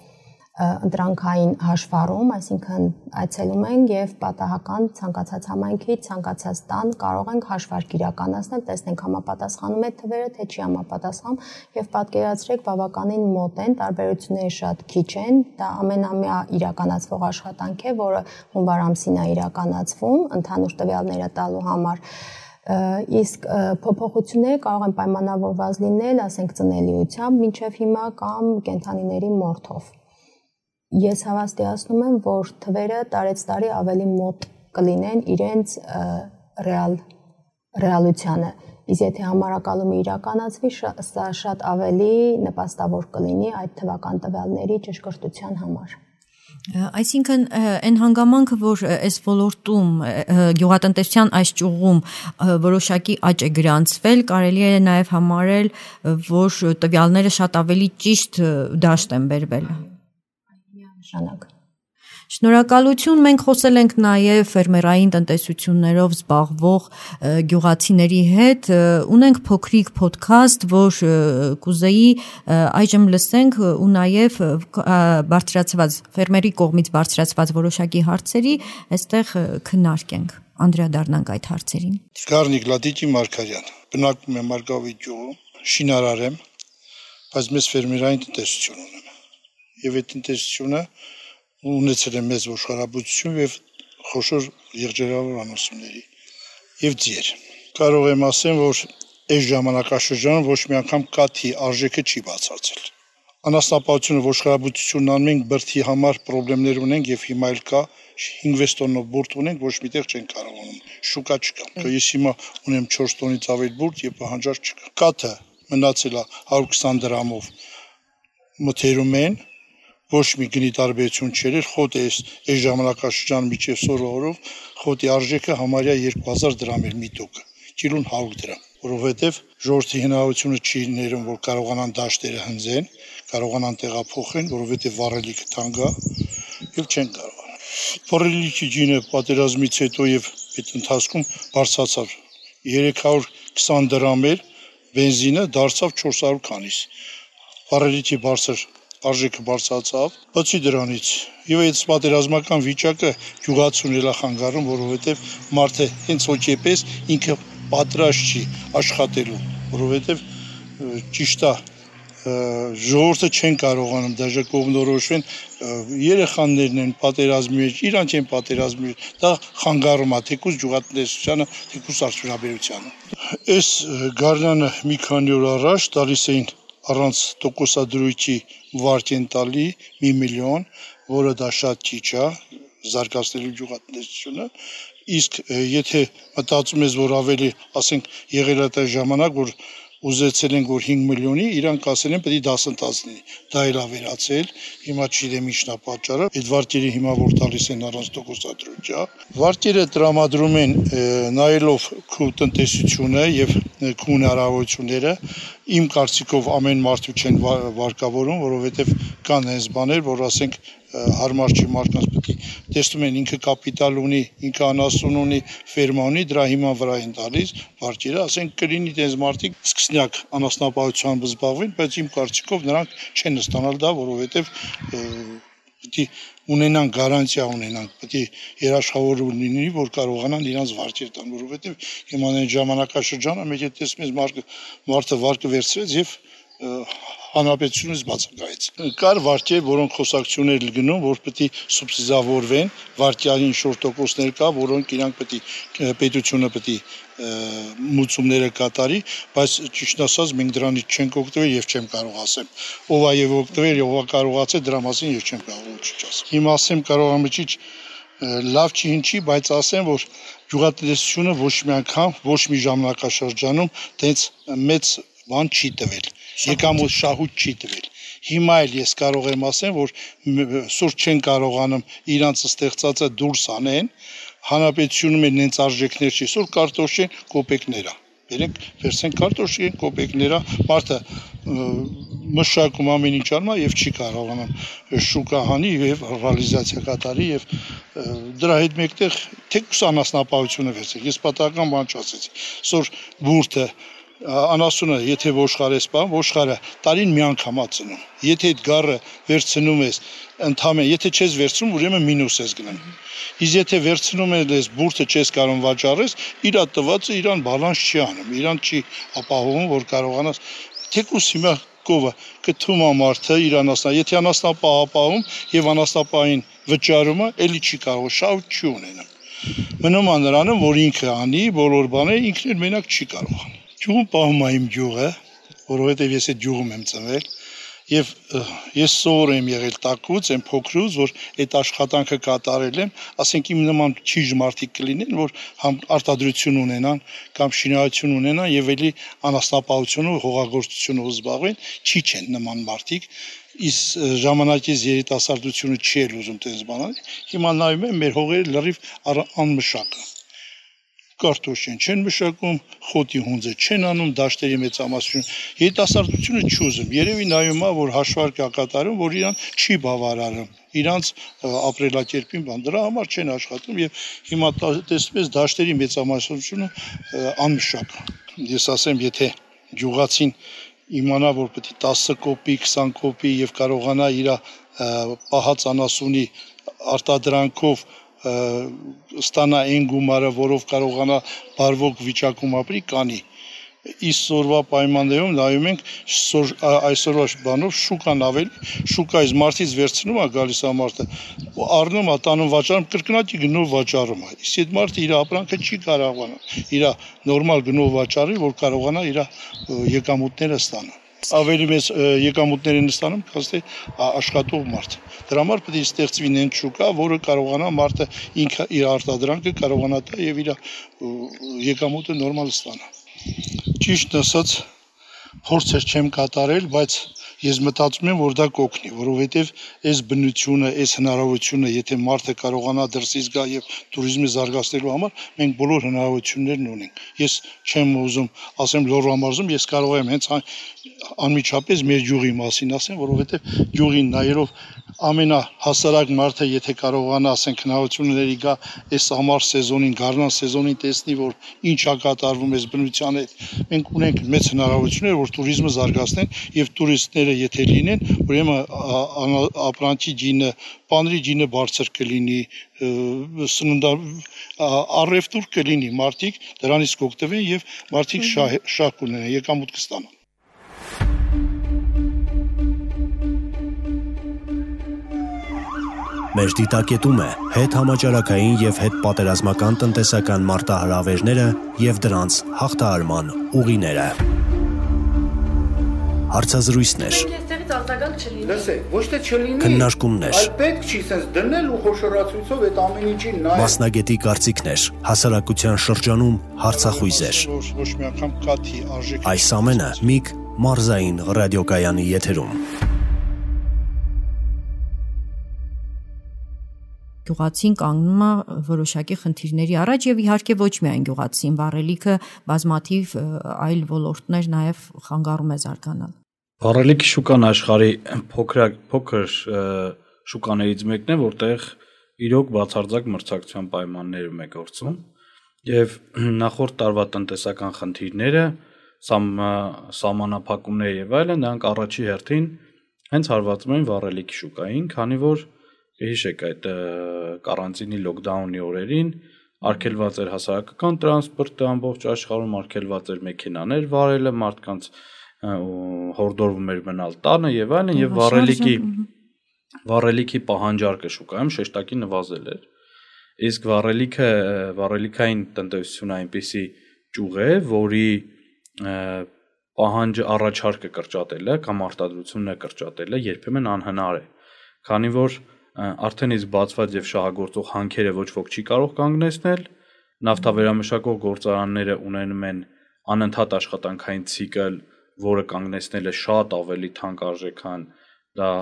ընտրանքային հաշվառում, այսինքն այցելում են եւ պատահական ցանկացած համայնքի, ցանկացած տան կարող ենք հաշվարկ իրականացնել, տեսնենք համապատասխանում է թվերը, թե չի համապատասխանում եւ պատկերացրեք բավականին մոտ են, տարբերությունները շատ քիչ են, դա ամենամյա իրականացվող աշխատանք է, որը հունվար ամսին է իրականացվում, ընդհանուր տվյալները տալու համար։ Իսկ փոփոխությունները կարող են պայմանավորված լինել, ասենք ծնելիությամբ, մինչև հիմա կամ կենդանիների մորթով։ Ես հավաստիացնում եմ, որ թվերը տարեցտարի ավելի մոտ կլինեն իրենց ռեալությանը։ Իսկ եթե համարակալումը իրականացվի, սա շատ ավելի նպաստավոր կլինի այդ թվական տվյալների ճշգրտության համար։ Այսինքն այն հանգամանքը, որ այս ոլորտում գյուղատնտեսության այս ճյուղում որոշակի աճ է գրանցվել, կարելի է նաև համարել, որ տվյալները շատ ավելի ճիշտ դաշտ են բերվել։ Նշանակ։ Շնորհակալություն, մենք խոսել ենք նաև ֆերմերային տնտեսություններով զբաղվող գյուղացիների հետ, ունենք փոքրիկ ոդքասթ, որ կուզեի այժմ լսենք ու նաև բարձրացված ֆերմերի կողմից բարձրացված որոշակի հարցերի այստեղ քննարկենք, անդրադառնանք այդ հարցերին։ Գառնիկ Լատիկի Մարգարյան, բնակվում եմ Մարգավի գյուղում, շինարար եմ, բայց մեծ ֆերմերային տնտեսություն ունեմ։ Եվ այդ տնտեսությունը ունեցել եմ մեծ ոչխարաբուծություն եւ խոշոր եղջերավոր անասունների եւ ձիեր։ Կարող եմ ասեմ, որ այս ժամանակաշրջանում ոչ մի անգամ կաթի արժեքը չի բացարձել։ Անասնապահությունը ոչխարաբուծությունն անում ենք բրդի համար խնդիրներ ունենք եւ հիմա էլ կա 5-6 տոննով բուրդ ունենք, ոչ միտեղ չեն կարողանում։ Շուկա չկա։ Ես հիմա ունեմ 4 տոնից ավելի բուրդ եւ պահանջար չկա։ Կաթը մնացել է 120 դրամով մթերում են, ոչ մի գնի տարբերություն չէր, խոտը այս ժամանակաշրջան միջև սորորով խոտի արժեքը համարյա 2000 դրամ էր մի տուկը, կիլոն 100 դրամ, որովհետև ժողովրդի հնարավորությունը չի ներում, որ կարողանան դաշտերը հնձեն, կարողանան տեղափոխեն, որովհետև վառելիքը թանկ է եւ չեն կարողանա։ Վառելիքի գինը պատերազմից հետո եւ այդ ընթացքում բարձրացավ 320 դրամ էր, բենզինը դարձավ 400 քանիս։ Վառելիքի բարձր արժեքը բարձրացավ, բացի դրանից եւ այդ պատերազմական վիճակը գյուղացուն էլա խանգարում, որովհետեւ մարդը հենց հոգեպես ինքը պատրաստ չի աշխատելու, որովհետեւ ճիշտ է ժողովուրդը չեն կարողանում դաժե կողմնորոշվեն երեխաներն են պատերազմի մեջ, իրանք են պատերազմի մեջ, դա խանգարում է թեկուզ գյուղատնտեսությանը, թեկուզ արդյունաբերությանը։ Այս գարնանը մի քանի օր առաջ տալիս էին առանց տոկոսադրույքի վարկ են տալի 1 միլիոն, որը դա շատ քիչ է, զարգացնելու գյուղատնտեսությունը, իսկ եթե մտածում ես, որ ավելի, ասենք, եղել է այդ ժամանակ, որ ուզեցել են, որ 5 միլիոնի, իրանք ասել են, պետք է դասընթաց լինի, դա էլ է վերացել, հիմա չգիտեմ ինչն է պատճառը, այդ վարկերը հիմա որ տալիս են առանց տոկոսադրույքի, վարկերը տրամադրում են նայելով քո տնտեսությունը եւ քո հնարավորությունները, իմ կարծիքով ամեն մարդու չեն վարկավորում, որովհետև կան հենց բաներ, որ ասենք հարմար չի մարդկանց պետք է տեսնում են ինքը կապիտալ ունի, ինքը անասուն ունի, ֆերմա ունի, դրա հիման վրա են տալիս վարկերը, ասենք կլինի դες մարդիկ սկսնյակ անասնապահությամբ զբաղվեն, բայց իմ կարծիքով նրանք չեն ստանալ դա, որովհետև պետք է ունենան գարանտիա ունենան, պետք է երաշխավոր լինի, որ կարողանան իրանց վարկեր տան, որովհետև հիմա այն ժամանակաշրջանը մեկ է տեսնում ես մարդը վարկը վերցրեց եւ հանրապետությունից բացակայեց։ Կար վարկեր, որոնք խոսակցություններ գնում, որ պետք է սուբսիդավորվեն, վարկյալի ինչ-որ տոկոսներ կա, որոնք իրանք պետք է պետությունը պետք է մուծումները կատարի, բայց ճիշտ ասած մենք դրանից չենք օգտվել եւ չեմ կարող ասեմ։ Ով է եւ օգտվել, ով է կարողացել դրա մասին ես չեմ կարող ոչինչ ասել։ Հիմա ասեմ կարող եմ ճիշտ լավ չի ինչի, բայց ասեմ, որ գյուղատնտեսությունը ոչ մի անգամ, ոչ մի ժամանակաշրջանում տենց մեծ բան չի տվել։ Եկամուտ շահույթ չի տվել։ Հիմա էլ ես կարող եմ ասեմ, որ սուրճ չեն կարողանում իրանց ստեղծածը դուրս անեն, հանրապետությունում են նենց արժեքներ չի, սուր կարտոշեն կոպեկներա։ Վերենք վերցեն կարտոշեն կոպեկներա, մարդը մշակում ամեն ինչ արմա եւ չի կարողանում շուկա հանի եւ ռեալիզացիա կատարի եւ դրա հետ մեկտեղ թեկուս անասնապահությունը վերցեք։ Ես պատահական բան չասեցի։ Սոր բուրդը անասունը, եթե ոշխարես բան, ոշխարը տարին մի անգամ ածնում։ Եթե այդ գառը վերցնում ես, ընդհանրապես, եթե չես վերցնում, ուրեմն մինուս ես գնում։ Իսկ եթե վերցնում ես բուրդը չես կարող վաճառես, իր տվածը իրան բալանս չի անում, իրան չի ապահովում, որ կարողանաս թեկուս հիմա կովը կթում ամարթը իր անասնա, եթե անասնապահապահում եւ անասնապահին վճարումը էլի չի կարող, շահույթ չի ունենա։ Մնում է նրանում, որ ինքը անի, բոլոր բաները ինքն էլ մենակ չի կարող անի։ Ջուղում պահում եմ ջուղը, որովհետև ես այդ ջուղում եմ ծնվել եւ ես սովոր եմ եղել տակուց, եմ փոքրուց, որ այդ աշխատանքը կատարել եմ, ասենք իմ նման ճիշտ մարդիկ կլինեն, որ համ արտադրություն ունենան կամ շինարարություն ունենան եւ էլի անասնապահությունով, հողագործությունով զբաղվեն, չի չեն նման մարդիկ։ Իսկ ժամանակից երիտասարդությունը չի էլ ուզում տես բանել։ Հիմա նայում եմ մեր հողերը լրիվ անմշակ է։ Կարտոշեն չեն մշակում, խոտի հունձը չեն անում, դաշտերի մեծամասնություն։ Երիտասարդությունը չուզում։ Երևի նայում է, որ հաշվարկ է կատարում, որ իրան չի բավարարում։ Իրանց ապրելակերպին բան դրա համար չեն աշխատում եւ հիմա տեսնում ես դաշտերի մեծամասնությունը անմշակ։ Ես ասեմ, եթե գյուղացին իմանա, որ պետք է 10 կոպի, 20 կոպի եւ կարողանա իր պահած անասունի արտադրանքով ստանա այն գումարը, որով կարողանա բարվոք վիճակում ապրի, կանի։ Իսկ սորվա պայմաններում նայում ենք այսօրվա բանով շուկան ավելի, շուկայից մարդից վերցնում է գալիս է մարդը, առնում է տանում վաճառում, կրկնակի գնով վաճառում է։ Իսկ այդ մարդը իր ապրանքը չի կարողանա, իր նորմալ գնով վաճառի, որ կարողանա իր եկամուտները ստանա։ Ավելի մեծ եկամուտներ են ստանում, քան թե աշխատող մարդ։ Դրա համար պետք է ստեղծվի նենց շուկա, որը կարողանա մարդը ինքը իր արտադրանքը կարողանա տա եւ իր եկամուտը նորմալ ստանա։ Ճիշտ ասած, փորձեր չեմ կատարել, բայց ես մտածում եմ, որ դա կօգնի, որովհետև այս բնությունը, այս հնարավորությունը, եթե մարդը կարողանա դրսից գա եւ туриզմը զարգացնելու համար, մենք բոլոր հնարավորություններն ունենք։ Ես չեմ ուզում ասեմ Լոռու մարզում, ես կարող եմ հենց անմիջապես մեր յուղի մասին ասեմ, որովհետև յուղին նայելով ամենահասարակ մարդը, եթե կարողանա, ասենք հնարավորությունների գա այս ամառ սեզոնին, գարնան սեզոնին տեսնի, որ ինչ է կատարվում այս բնության հետ, մենք ունենք մեծ հնարավորություններ, որ туриզմը զարգացնեն եւ տուրիստները եթե լինեն, ուրեմն ապրանքի ջինը, պանրի ջինը բարձր կլինի, սննդա առևտուր կլինի, մարդիկ դրանից կօգտվեն եւ մարդիկ շահ կունենան, եկամուտ կստանան։ Մեր դիտակետում է հետ համաճարակային եւ հետ պատերազմական տնտեսական մարտահրավերները եւ դրանց հաղթահարման ուղիները։ Հարցազրույցներ։ Լսեք, ոչ թե չլինի, քննարկումներ, այլ պետք չի sense դնել ու խոշորացույցով այդ ամեն ինչին նայել։ Մասնագետի կարծիքներ, հասարակության շրջանում հարցախույզեր։ Ոչ մի անգամ կաթի արժեք։ Այս ամենը Միք մարզային ռադիոկայանի եթերում։ գյուղացին կանգնում է որոշակի խնդիրների առաջ եւ իհարկե ոչ միայն գյուղացին, վառելիքը բազմաթիվ այլ ոլորտներ նաեւ խանգարում է զարգանալ։ Վառելիքի շուկան աշխարհի փոքր շուկաներից մեկն է, որտեղ իրոք բացարձակ մրցակցության պայմաններում է գործում եւ նախորդ տարվա տնտեսական խնդիրները, սահմանափակումները եւ այլն, դրանք առաջի հերթին հենց հարվածում են վառելիքի շուկային, քանի որ հիշեք այդ կարանտինի լոկդաունի օրերին արգելված էր հասարակական տրանսպորտը ամբողջ աշխարհում, արգելված էր մեքենաներ վարելը, մարդկանց հորդորվում էր մնալ տանը եւ այլն, եւ վառելիքի պահանջարկը շուկայում շեշտակի նվազել էր։ Իսկ վառելիքային տնտեսությունը այնպիսի ճյուղ է, որի պահանջը առաջարկը կրճատելը կամ արտադրությունը կրճատելը երբեմն անհնար է, քանի որ արդեն իսկ բացված եւ շահագործող հանքերը ոչ ոք չի կարող կանգնեցնել, նավթավերամշակող գործարանները ունենում են անընդհատ աշխատանքային ցիկլ, որը կանգնեցնելը շատ ավելի թանկարժեք, քան դա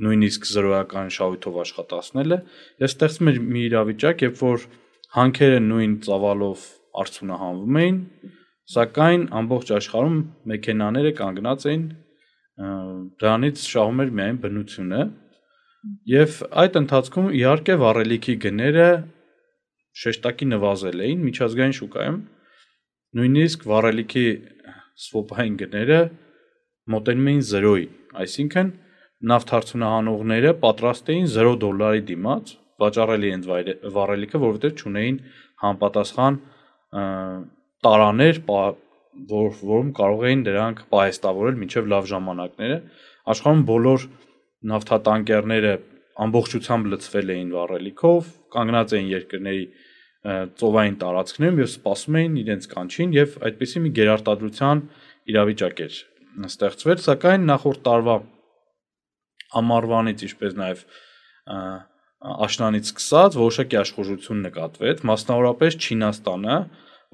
նույնիսկ զրոյական շահույթով աշխատացնելը, եւ ստեղծում էր մի իրավիճակ, երբ որ հանքերը նույն ծավալով արդյունահանվում էին, սակայն ամբողջ աշխարհում մեքենաները կանգնած էին, դրանից շահում էր միայն բնությունը, եւ այդ ընթացքում իհարկե վառելիքի գները շեշտակի նվազել էին միջազգային շուկայում, նույնիսկ վառելիքի սվոպային գները մոտենում էին 0-ի, այսինքն նավթարդյունահանողները պատրաստ էին $0 դիմաց վաճառել իրենց վառելիքը, որովհետև չունեին համապատասխան տարաներ, որում կարող էին դրանք պահեստավորել մինչև լավ ժամանակները։ Աշխարհում բոլոր նավթատանկերները ամբողջությամբ լցվել էին վառելիքով, կանգնած էին երկրների ծովային տարածքներում եւ սպասում էին իրենց կանչին եւ այդպիսի մի գերարտադրության իրավիճակ էր ստեղծվել, սակայն նախորդ տարվա ամառվանից, ինչպես նաեւ աշնանից սկսած որոշակի աշխուժություն նկատվեց, մասնավորապես Չինաստանը,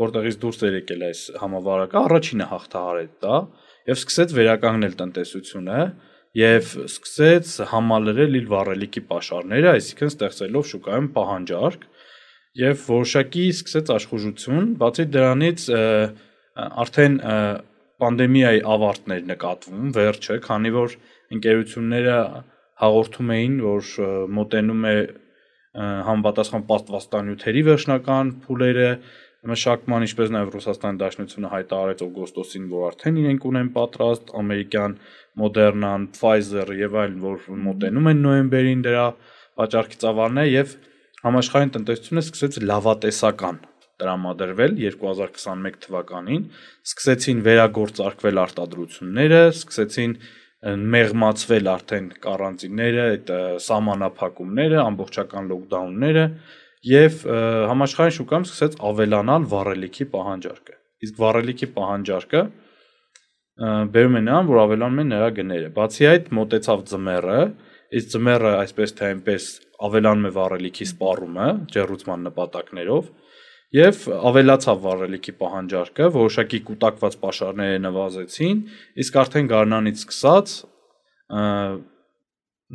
որտեղից դուրս էր եկել այս համավարակը, առաջինը հաղթահարեց դա եւ սկսեց վերականգնել տնտեսությունը եւ սկսեց համալրել իր վառելիքի պաշարները, այսինքն ստեղծելով շուկայում պահանջարկ եւ որոշակի սկսեց աշխուժություն, բացի դրանից արդեն պանդեմիայի ավարտներ նկատվում, վերջը, քանի որ ընկերությունները հաղորդում էին, որ մոտենում է համապատասխան պատվաստանյութերի վերջնական փուլերը մշակման, ինչպես նաև Ռուսաստանի Դաշնությունը հայտարարեց օգոստոսին, որ արդեն իրենք ունեն պատրաստ, ամերիկյան Moderna-ն, Pfizer-ը եւ այլն, որ մոտենում են նոյեմբերին դրա վաճառքի ծավալները եւ համաշխարհային տնտեսությունը սկսեց լավատեսական տրամադրվել 2021 թվականին, սկսեցին վերագործարկվել արտադրությունները, սկսեցին մեղմացվել արդեն կարանտինները, այդ սահմանափակումները, ամբողջական լոկդաունները եւ համաշխարհային շուկայում սկսեց ավելանալ վառելիքի պահանջարկը։ Իսկ վառելիքի պահանջարկը բերում է նրան, որ ավելանում են նրա գները։ Բացի այդ, մոտեցավ ձմեռը, իսկ ձմեռը այսպես թե այնպես ավելանում է վառելիքի սպառումը ջեռուցման նպատակներով եւ ավելացավ վառելիքի պահանջարկը, որոշակի կուտակված պաշարները նվազեցին, իսկ արդեն գարնանից սկսած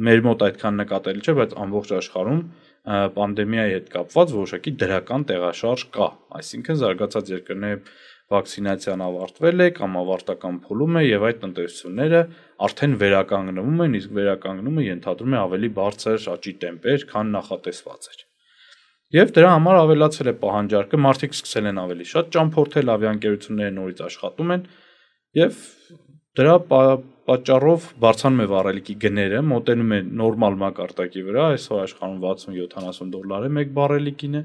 մեր մոտ այդքան նկատելի չէ, բայց ամբողջ աշխարհում պանդեմիայի հետ կապված որոշակի դրական տեղաշարժ կա, այսինքն զարգացած երկրների վակցինացիան ավարտվել է կամ ավարտական փուլում է եւ այդ տնտեսությունները արդեն վերականգնվում են, իսկ վերականգնումը ենթադրում է ավելի բարձր աճի տեմպեր, քան նախատեսված էր։ Եվ դրա համար ավելացել է պահանջարկը, մարդիկ սկսել են ավելի շատ ճամփորդել, ավիաընկերությունները նորից աշխատում են եւ դրա պատճառով բարձրանում է վառելիքի գները, մոտենում է նորմալ մակարդակի վրա, այսօր աշխարհում $60-70 է մեկ բարելիկին է։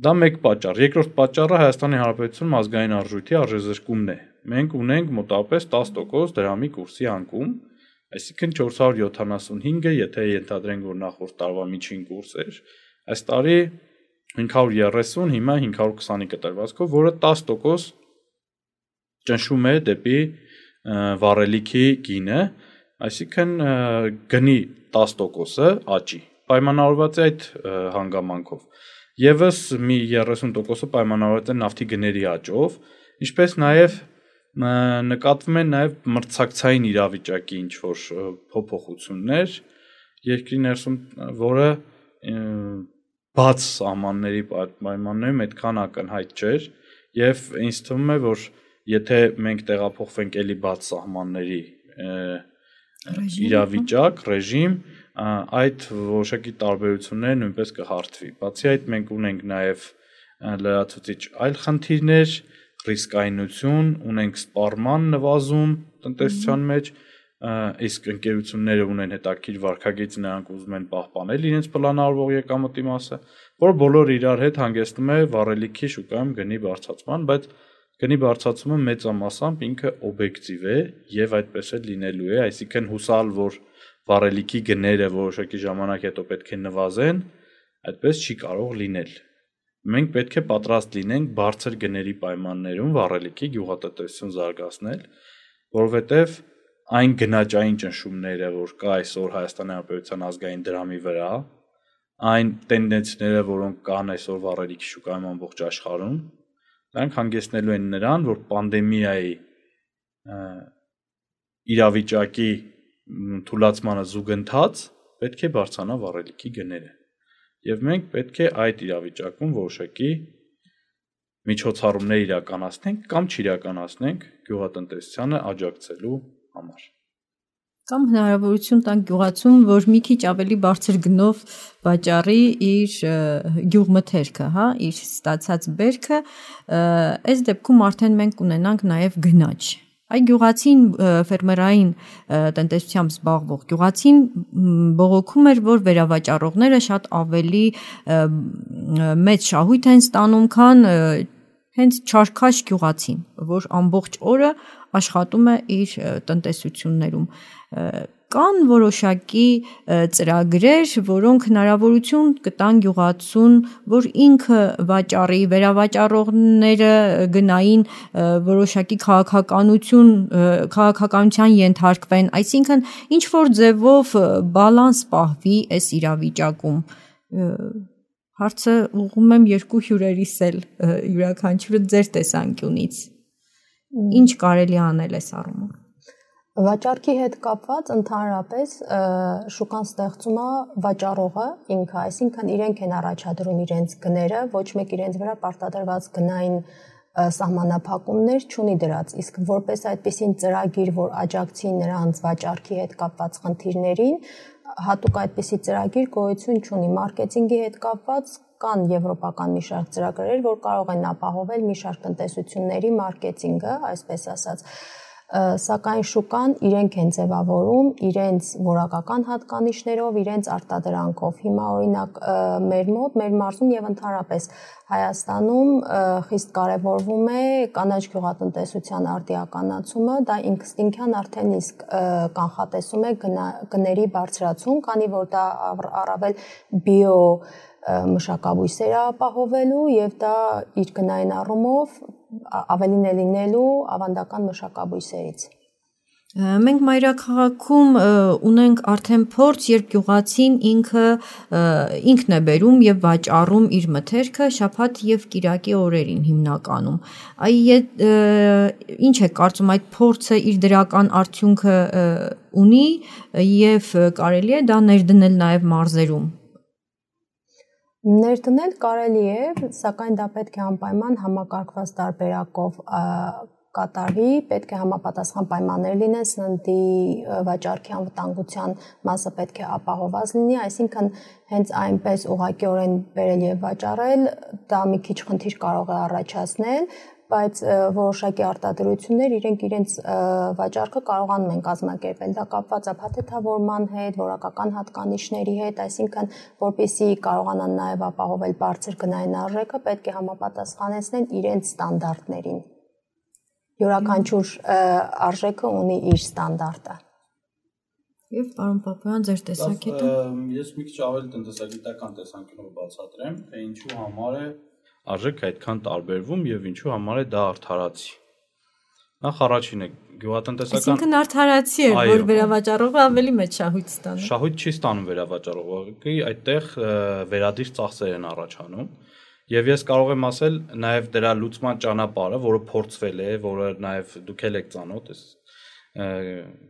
Դա մեկ պատճառ։ Երկրորդ պատճառը Հայաստանի Հանրապետությունում ազգային արժույթի արժեզրկումն է։ Մենք ունենք մոտավորապես 10% դրամի կուրսի անկում, այսինքն 475-ը, եթե ենթադրենք, որ նախորդ տարվա միջին կուրս էր, այս տարի 530, հիմա 520-ի կտրվածքով, որը 10% ճնշում է դեպի վառելիքի գինը, այսինքն գնի 10%-ը աճի։ Պայմանավորված է այդ հանգամանքով։ Եվս մի 30%-ը պայմանավորված է նավթի գների աճով, ինչպես նաև նկատվում են նաև մրցակցային իրավիճակի ինչ-որ փոփոխություններ երկրի ներսում, որը բաց սահմանների պայմաններում այդքան ակնհայտ չէր եւ ինձ թվում է որ եթե մենք տեղափոխվենք էլի բաց սահմանների իրավիճակ, ռեժիմ, այդ որոշակի տարբերությունները նույնպես կհարթվի։ Բացի այդ մենք ունենք նաեւ լրացուցիչ այլ խնդիրներ, ռիսկայնություն, ունենք սպառման նվազում տնտեսության մեջ, իսկ ընկերությունները ունեն հետաքրքիր վարկագիծ, նրանք ուզում են պահպանել իրենց պլանավորվող եկամտի մասը, որ բոլոր իրար հետ հանգեցնում է վառելիքի շուկայում գնի բարձրացման, բայց գնի բարձրացումը մեծամասամբ ինքը օբյեկտիվ է եւ այդպես էլ լինելու է, այսինքն հուսալ, որ վառելիքի գները որոշակի ժամանակ հետո պետք է նվազեն, այդպես չի կարող լինել։ Մենք պետք է պատրաստ լինենք բարձր գների պայմաններում վառելիքի գյուղատնտեսություն զարգացնել, որովհետեւ այն գնաճային ճնշումները, որ կա այսօր Հայաստանի Հանրապետության ազգային դրամի վրա, այն տենդենսները, որոնք կան այսօր վառելիքի շուկայում ամբողջ աշխարհում, դրանք հանգեցնելու են նրան, որ պանդեմիայի իրավիճակի թուլացմանը զուգընթաց պետք է բարձրանա վառելիքի գները։ Եվ մենք պետք է այդ իրավիճակում որոշակի միջոցառումներ իրականացնենք կամ չիրականացնենք գյուղատնտեսությանը աջակցելու համար։ Կամ հնարավորություն տանք գյուղացուն, որ մի քիչ ավելի բարձր գնով վաճառի իր գյուղմթերքը, հա, իր ստացած բերքը, այս դեպքում արդեն մենք ունենանք նաև գնաճ։ Այ գյուղացին ֆերմերային տնտեսությամբ զբաղվող գյուղացին բողոքում էր, որ վերավաճառողները շատ ավելի մեծ շահույթ են ստանում, քան հենց չարքաշ գյուղացին, որ ամբողջ օրը աշխատում է իր տնտեսություններում։ Կան որոշակի ծրագրեր, որոնք հնարավորություն կտան գյուղացուն, որ ինքը վաճառի, վերավաճառողները գնային որոշակի քաղաքականության ենթարկվեն, այսինքն ինչ որ ձևով բալանս պահվի այս իրավիճակում։ Հարցը ուղղում եմ երկու հյուրերիս էլ յուրաքանչյուրը ձեր տեսանկյունից։ Ինչ կարելի անել այս առումով։ Վաճառքի հետ կապված ընդհանրապես շուկան ստեղծում է վաճառողը ինքը, այսինքն իրենք են առաջադրում իրենց գները, ոչ մեկ իրենց վրա պարտադրված գնային սահմանափակումներ չունի դրած, իսկ որպես այդպիսին ծրագիր, որ աջակցի նրանց վաճառքի հետ կապված խնդիրներին, հատուկ այդպիսի ծրագիր գոյություն չունի։ Մարքեթինգի հետ կապված կան եվրոպական մի շարք ծրագրեր, որ կարող են ապահովել մի շարք տնտեսությունների մարքեթինգը, այսպես ասած, սակայն շուկան իրենք են ձևավորում իրենց որակական հատկանիշներով, իրենց արտադրանքով։ Հիմա օրինակ մեր մոտ, մեր մարզում եւ ընդհանրապես Հայաստանում խիստ կարևորվում է կանաչ գյուղատնտեսության արդիականացումը, դա ինքնստինքյան արդեն իսկ կանխատեսում է գների բարձրացում, քանի որ դա առավել բիո մշակաբույսեր ապահովելու եւ դա իր գնային առումով ավելին է լինելու ավանդական մշակաբույսերից։ Մենք մայրաքաղաքում ունենք արդեն փորձ, երբ գյուղացին ինքն է բերում եւ վաճառում իր մթերքը շաբաթ եւ կիրակի օրերին հիմնականում։ Ինչ է կարծում այդ փորձը իր դրական արդյունքը ունի եւ կարելի է դա ներդնել նաեւ մարզերում։ Ներդնել կարելի է, սակայն դա պետք է անպայման համակարգված տարբերակով կատարվի, պետք է համապատասխան պայմաններ լինեն, սննդի վաճառքի անվտանգության մասը պետք է ապահովված լինի, այսինքն հենց այնպես ուղղակիորեն բերել եւ վաճառել, դա մի քիչ խնդիր կարող է առաջացնել, բայց որոշակի արտադրություններ իրենց վաճառքը կարողանում են կազմակերպել, դա կապված է փաթեթավորման հետ, որակական հատկանիշների հետ, այսինքն որպեսզի կարողանան նաև ապահովել բարձր գնային արժեքը, պետք է համապատասխանեցնեն իրենց ստանդարտներին։ Յուրաքանչյուր արժեքը ունի իր ստանդարտը։ Եվ պարոն Պապոյան, ձեր տեսակետը։ Ես մի քիչ ավելի տնտեսագիտական տեսանկյունով բացատրեմ, թե ինչու համար է արժեքը այդքան տարբերվում եւ ինչու համար է դա արդարացի։ Նախ առաջինը գյուղատնտեսական Այսինքն արդարացի է, որ վերավաճառողը ավելի մեծ շահույթ ստանում։ Շահույթ չի ստանում վերավաճառողը, այդտեղ վերադիր ծախսեր են առաջանում։ Եվ ես կարող եմ ասել նաև դրա լուծման ճանապարհը, որը փորձվել է, որը նաև դուք եք ծանոթ,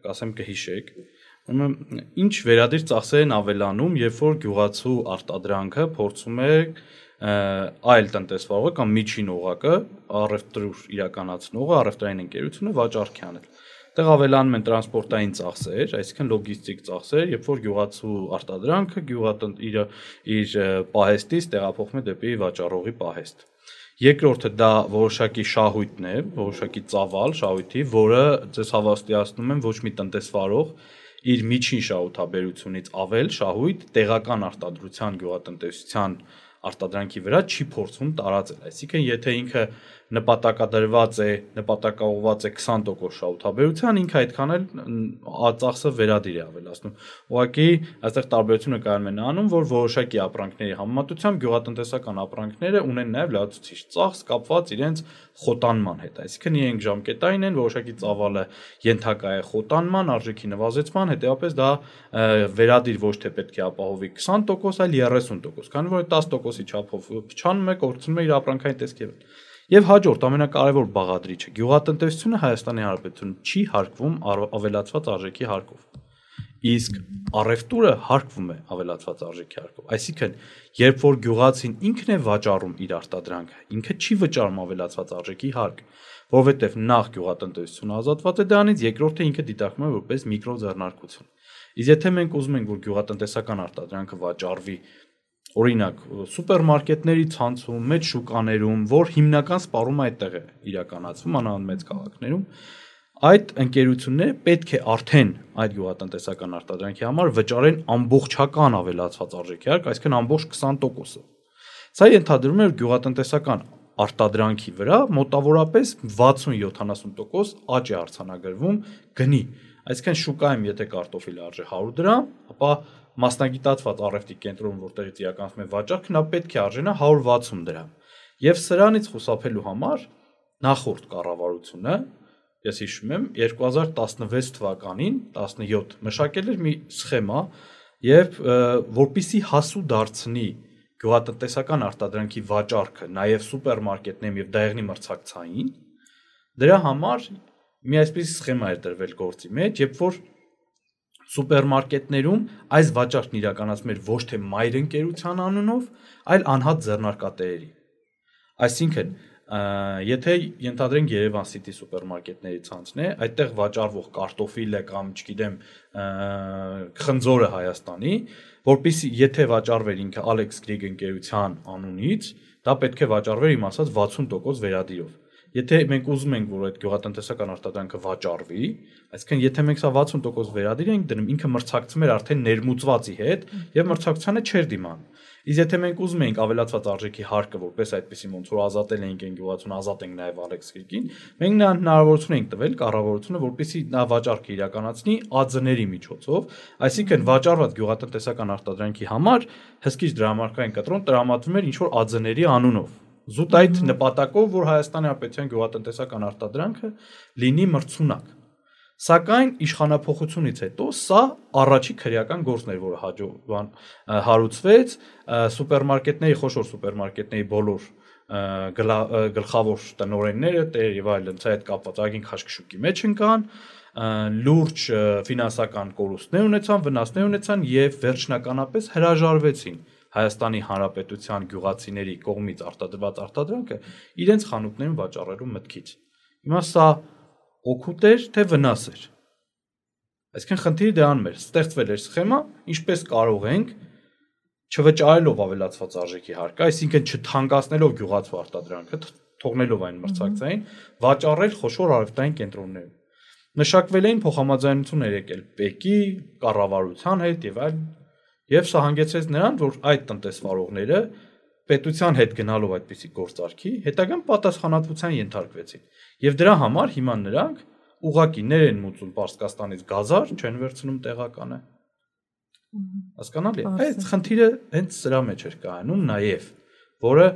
կասեմ կհիշեք, Ինչ վերադիր ծախսեր են ավելանում, երբ որ գյուղացու արտադրանքը փորձում է այլ տնտեսվարողը կամ միջին օղակը, առևտուր իրականացնողը, առևտրային ընկերությունը վաճառքի անել։ Այդտեղ ավելանում են տրանսպորտային ծախսեր, այսինքն լոգիստիկ ծախսեր, երբ որ գյուղացու արտադրանքը իր պահեստից տեղափոխվում է դեպի վաճառողի պահեստ։ Երկրորդը դա որոշակի շահույթն է, որոշակի ծավալ շահույթի, որը ձեզ հավաստիացնում են ոչ մի տնտեսվարող իր միջին շահութաբերությունից ավել շահույթ տեղական արտադրության գյուղատնտեսության արտադրանքի վրա չի փորձում տարածել։ Այսինքն, եթե ինքը նպատակադրված է, նպատակաուղղված է 20% շահութաբերության, ինքը այդքան էլ ծախսը վերադիր է ավելացնում։ Ուղղակի այստեղ տարբերությունը կայանում է նրանում, որ որոշակի ապրանքների համեմատությամբ գյուղատնտեսական ապրանքները ունեն նաև լրացուցիչ ծախս կապված իրենց խոտանման հետ։ Այսինքն, իրենք ժամկետային են, որոշակի ծավալը ենթակա է խոտանման, արժեքի նվազեցման, հետեւաբար դա վերադիր ոչ թե պետք է ապահովի 20%, այլ 30%, քանի որ 10%-ի չափով փչանում է, կորցնում է իր ապրանքային տեսքերը։ Եվ հաջորդ ամենակարևոր բաղադրիչը գյուղատնտեսությունը Հայաստանի Հանրապետությունում չի հարկվում ավելացված արժեքի հարկով։ Իսկ առևտուրը հարկվում է ավելացված արժեքի հարկով։ Այսինքն, երբ որ գյուղացին ինքն է վաճառում իր արտադրանքը, ինքը չի վճարում ավելացված արժեքի հարկ, որովհետև նախ գյուղատնտեսությունը ազատված է դրանից, երկրորդը ինքը դիտարկվում է որպես միկրոձեռնարկություն։ Իսկ եթե մենք ուզում ենք, որ գյուղատնտեսական արտադրանքը վաճառվի օրինակ սուպերմարկետների ցանցում, մեծ շուկաներում, որ հիմնական սպառումը այդտեղ է իրականացվում, անանուն մեծ քաղաքներում, այդ ընկերությունները պետք է արդեն այդ գյուղատնտեսական արտադրանքի համար վճարեն ամբողջական ավելացված արժեքի հարկ, այսինքն ամբողջ 20%-ը։ Սա ենթադրում է, որ գյուղատնտեսական արտադրանքի վրա մոտավորապես 60-70% աճ է արձանագրվում գնի։ Այսինքն շուկայում եթե կարտոֆիլը արժե 100 դրամ, ապա մասնագիտացված առևտրի կենտրոնում, որտեղից իրականացվում է վաճառքը, նա պետք է արժենա 160 դրամ։ Եվ սրանից խուսափելու համար նախորդ կառավարությունը, ես հիշում եմ, 2016 թվականին 17 մշակել էր մի սխեմա, եւ որպիսի հասու դարձնի գյուղատնտեսական արտադրանքի վաճառքը նաև սուպերմարկետներում եւ դեղնի մրցակցային, դրա համար մի այսպես սխեմա էր դրվել գործի մեջ, երբ որ սուպերմարկետներում այս վաճառքն իրականացվում էր ոչ թե մայր ընկերության անունով, այլ անհատ ձեռնարկատերերի։ Այսինքն, եթե ենթադրենք Երևան City սուպերմարկետների ցանցն է, այդտեղ վաճառվող կարտոֆիլը կամ, չգիտեմ, խնձորը Հայաստանի, որpիսի եթե վաճառվեր ինքը Alex Grieg ընկերության անունից, դա պետք է վաճառվեր իմ ասած 60% վերադիրով։ Եթե մենք ուզում ենք, որ այդ գյուղատնտեսական արտադրանքը վաճառվի, այսինքն եթե մենք սա 60% վերադիր ենք դնում, ինքը մրցակցում էր արդեն ներմուծվածի հետ եւ մրցակցությանը չէր դիմանում։ Իսկ եթե մենք ուզում ենք ավելացված արժեքի հարկը որպես այդպեսի ոնց որ ազատել ենք այն գյուղացուն, ազատենք նաեւ Alex Grieg-ին, մենք նրան հնարավորություն ենք տվել կառավարությունը, որպեսզի նա վաճառքը իրականացնի ԱՁ-ների միջոցով, այսինքն վաճառված գյուղատնտեսական արտադրանքի համար հսկիչ դրամարկային կտրոն տրամադրվում էր ինչ որ ԱԶ-ների անունով։ Զուտ այդ նպատակով, որ Հայաստանի Հանրապետության գյուղատնտեսական արտադրանքը լինի մրցունակ։ Սակայն իշխանափոխությունից հետո սա առաջի քրեական գործն էր, որը հարուցվեց սուպերմարկետների, խոշոր սուպերմարկետների բոլոր գլխավոր տնօրենները, տեր եւ այլն, սա այդ կապված ագին քաշքշուկի մեջ ընկան, լուրջ ֆինանսական կորուստներ ունեցան, վնասներ ունեցան եւ վերջնականապես հրաժարվեցին Հայաստանի Հանրապետության գյուղացիների կողմից արտադրված արտադրանքը իրենց խանութներում վաճառելու մտքից։ Հիմա սա օգուտ էր, թե վնաս էր։ Այսինքն խնդիրը դրանում էր, ստեղծվել էր սխեմա, ինչպես կարող ենք չվճարելով ավելացված արժեքի հարկը, այսինքն չթանկացնելով գյուղացու արտադրանքը, թողնելով այն մրցակցային, վաճառել խոշոր առևտրային կենտրոններում։ Մշակվել էին փոխհամաձայնություններ եկել ՊԵԿ-ի, կառավարության հետ եւ այլն, եւ սա հանգեցրեց նրան, որ այդ տնտեսվարողները պետության հետ գնալով այդպիսի գործարքի, հետագան պատասխանատվության ենթարկվեցին։ Եվ դրա համար հիմա նրանք ուղղակիներ են մուծում Պարսկաստանից գազար, չեն վերցնում տեղականը։ Հասկանալի է։ Այդ խնդիրը հենց սրա մեջ էր կայանում նաեւ, որը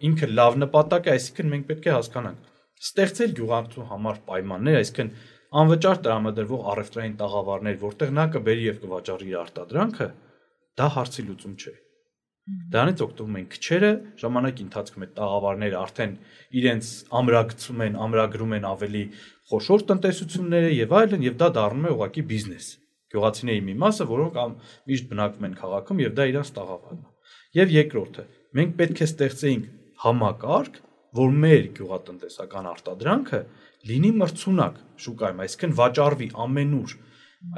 ինքը լավ նպատակ է, այսինքն մենք պետք է հասկանանք, ստեղծել գյուղացու համար պայմաններ, այսինքն անվճար տրամադրվող առևտրային տաղավարներ, որտեղ նա կբերի եւ կվաճառի իր արտադրանքը, դա հարցի լուծում չէ։ Դրանից օգտվում են քչերը, ժամանակի ընթացքում այդ տաղավարները արդեն իրենց ամրագծում են, ամրագրում են ավելի խոշոր տնտեսությունները եւ այլն, եւ դա դառնում է ուղղակի բիզնես։ գյուղացիների մի մասը, որոնք միշտ բնակվում են քաղաքում եւ դա իրանց տաղավարն է։ Եվ երկրորդը, մենք պետք է ստեղծեինք համակարգ, որ մեր գյուղատնտեսական արտադրանքը լինի մրցունակ շուկայում, այսինքն վաճառվի ամենուր։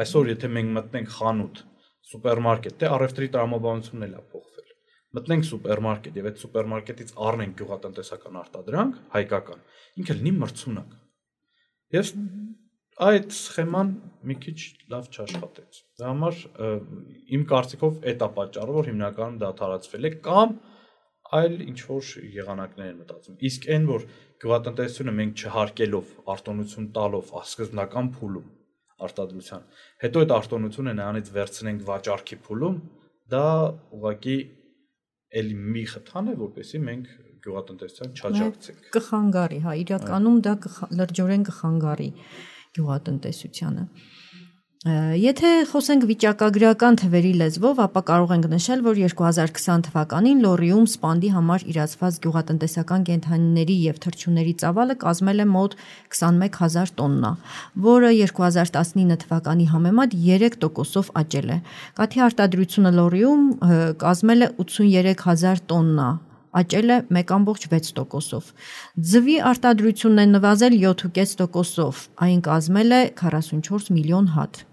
Այսօր եթե մենք մտնենք խանութ, սուպերմարկետ, դե առևտրի տրամաբանությունն էլ է փոխվել։ Մտնենք սուպերմարկետ եւ այդ սուպերմարկետից առնենք գյուղատնտեսական արտադրանք, հայկական, ինքը լինի մրցունակ։ Եվ այդ սխեման մի քիչ լավ չաշխատեց։ Դա համար իմ կարծիքով այդ է պատճառը, որ հիմնականում դադարացվել է կամ այլ ինչ որ եղանակներ են մտածում։ Իսկ այն որ գյուղատնտեսությունը մենք չհարկելով, արտոնություն տալով, սկզբնական փուլում արտադրության, հետո այդ արտոնությունը նրանից վերցնենք վաճառքի փուլում, դա ուղղակի էլի մի խթան է, որպեսզի մենք գյուղատնտեսության չաջակցենք։ Կխանգարի, հա, իրականում դա լրջորեն կխանգարի գյուղատնտեսությանը։ Եթե խոսենք վիճակագրական թվերի լեզվով, ապա կարող ենք նշել, որ 2020 թվականին Լոռիում սպանդի համար իրացված գյուղատնտեսական կենդանիների եւ թռչունների ծավալը կազմել է մոտ 21000 տոննա, որը 2019 թվականի համեմատ 3%-ով աճել է։ Կաթի արտադրությունը Լոռիում կազմել է 83000 տոննա, աճել է 1.6%-ով։ Ձվի արտադրությունն է նվազել 7.5%-ով, այն կազմել է 44 միլիոն հատ։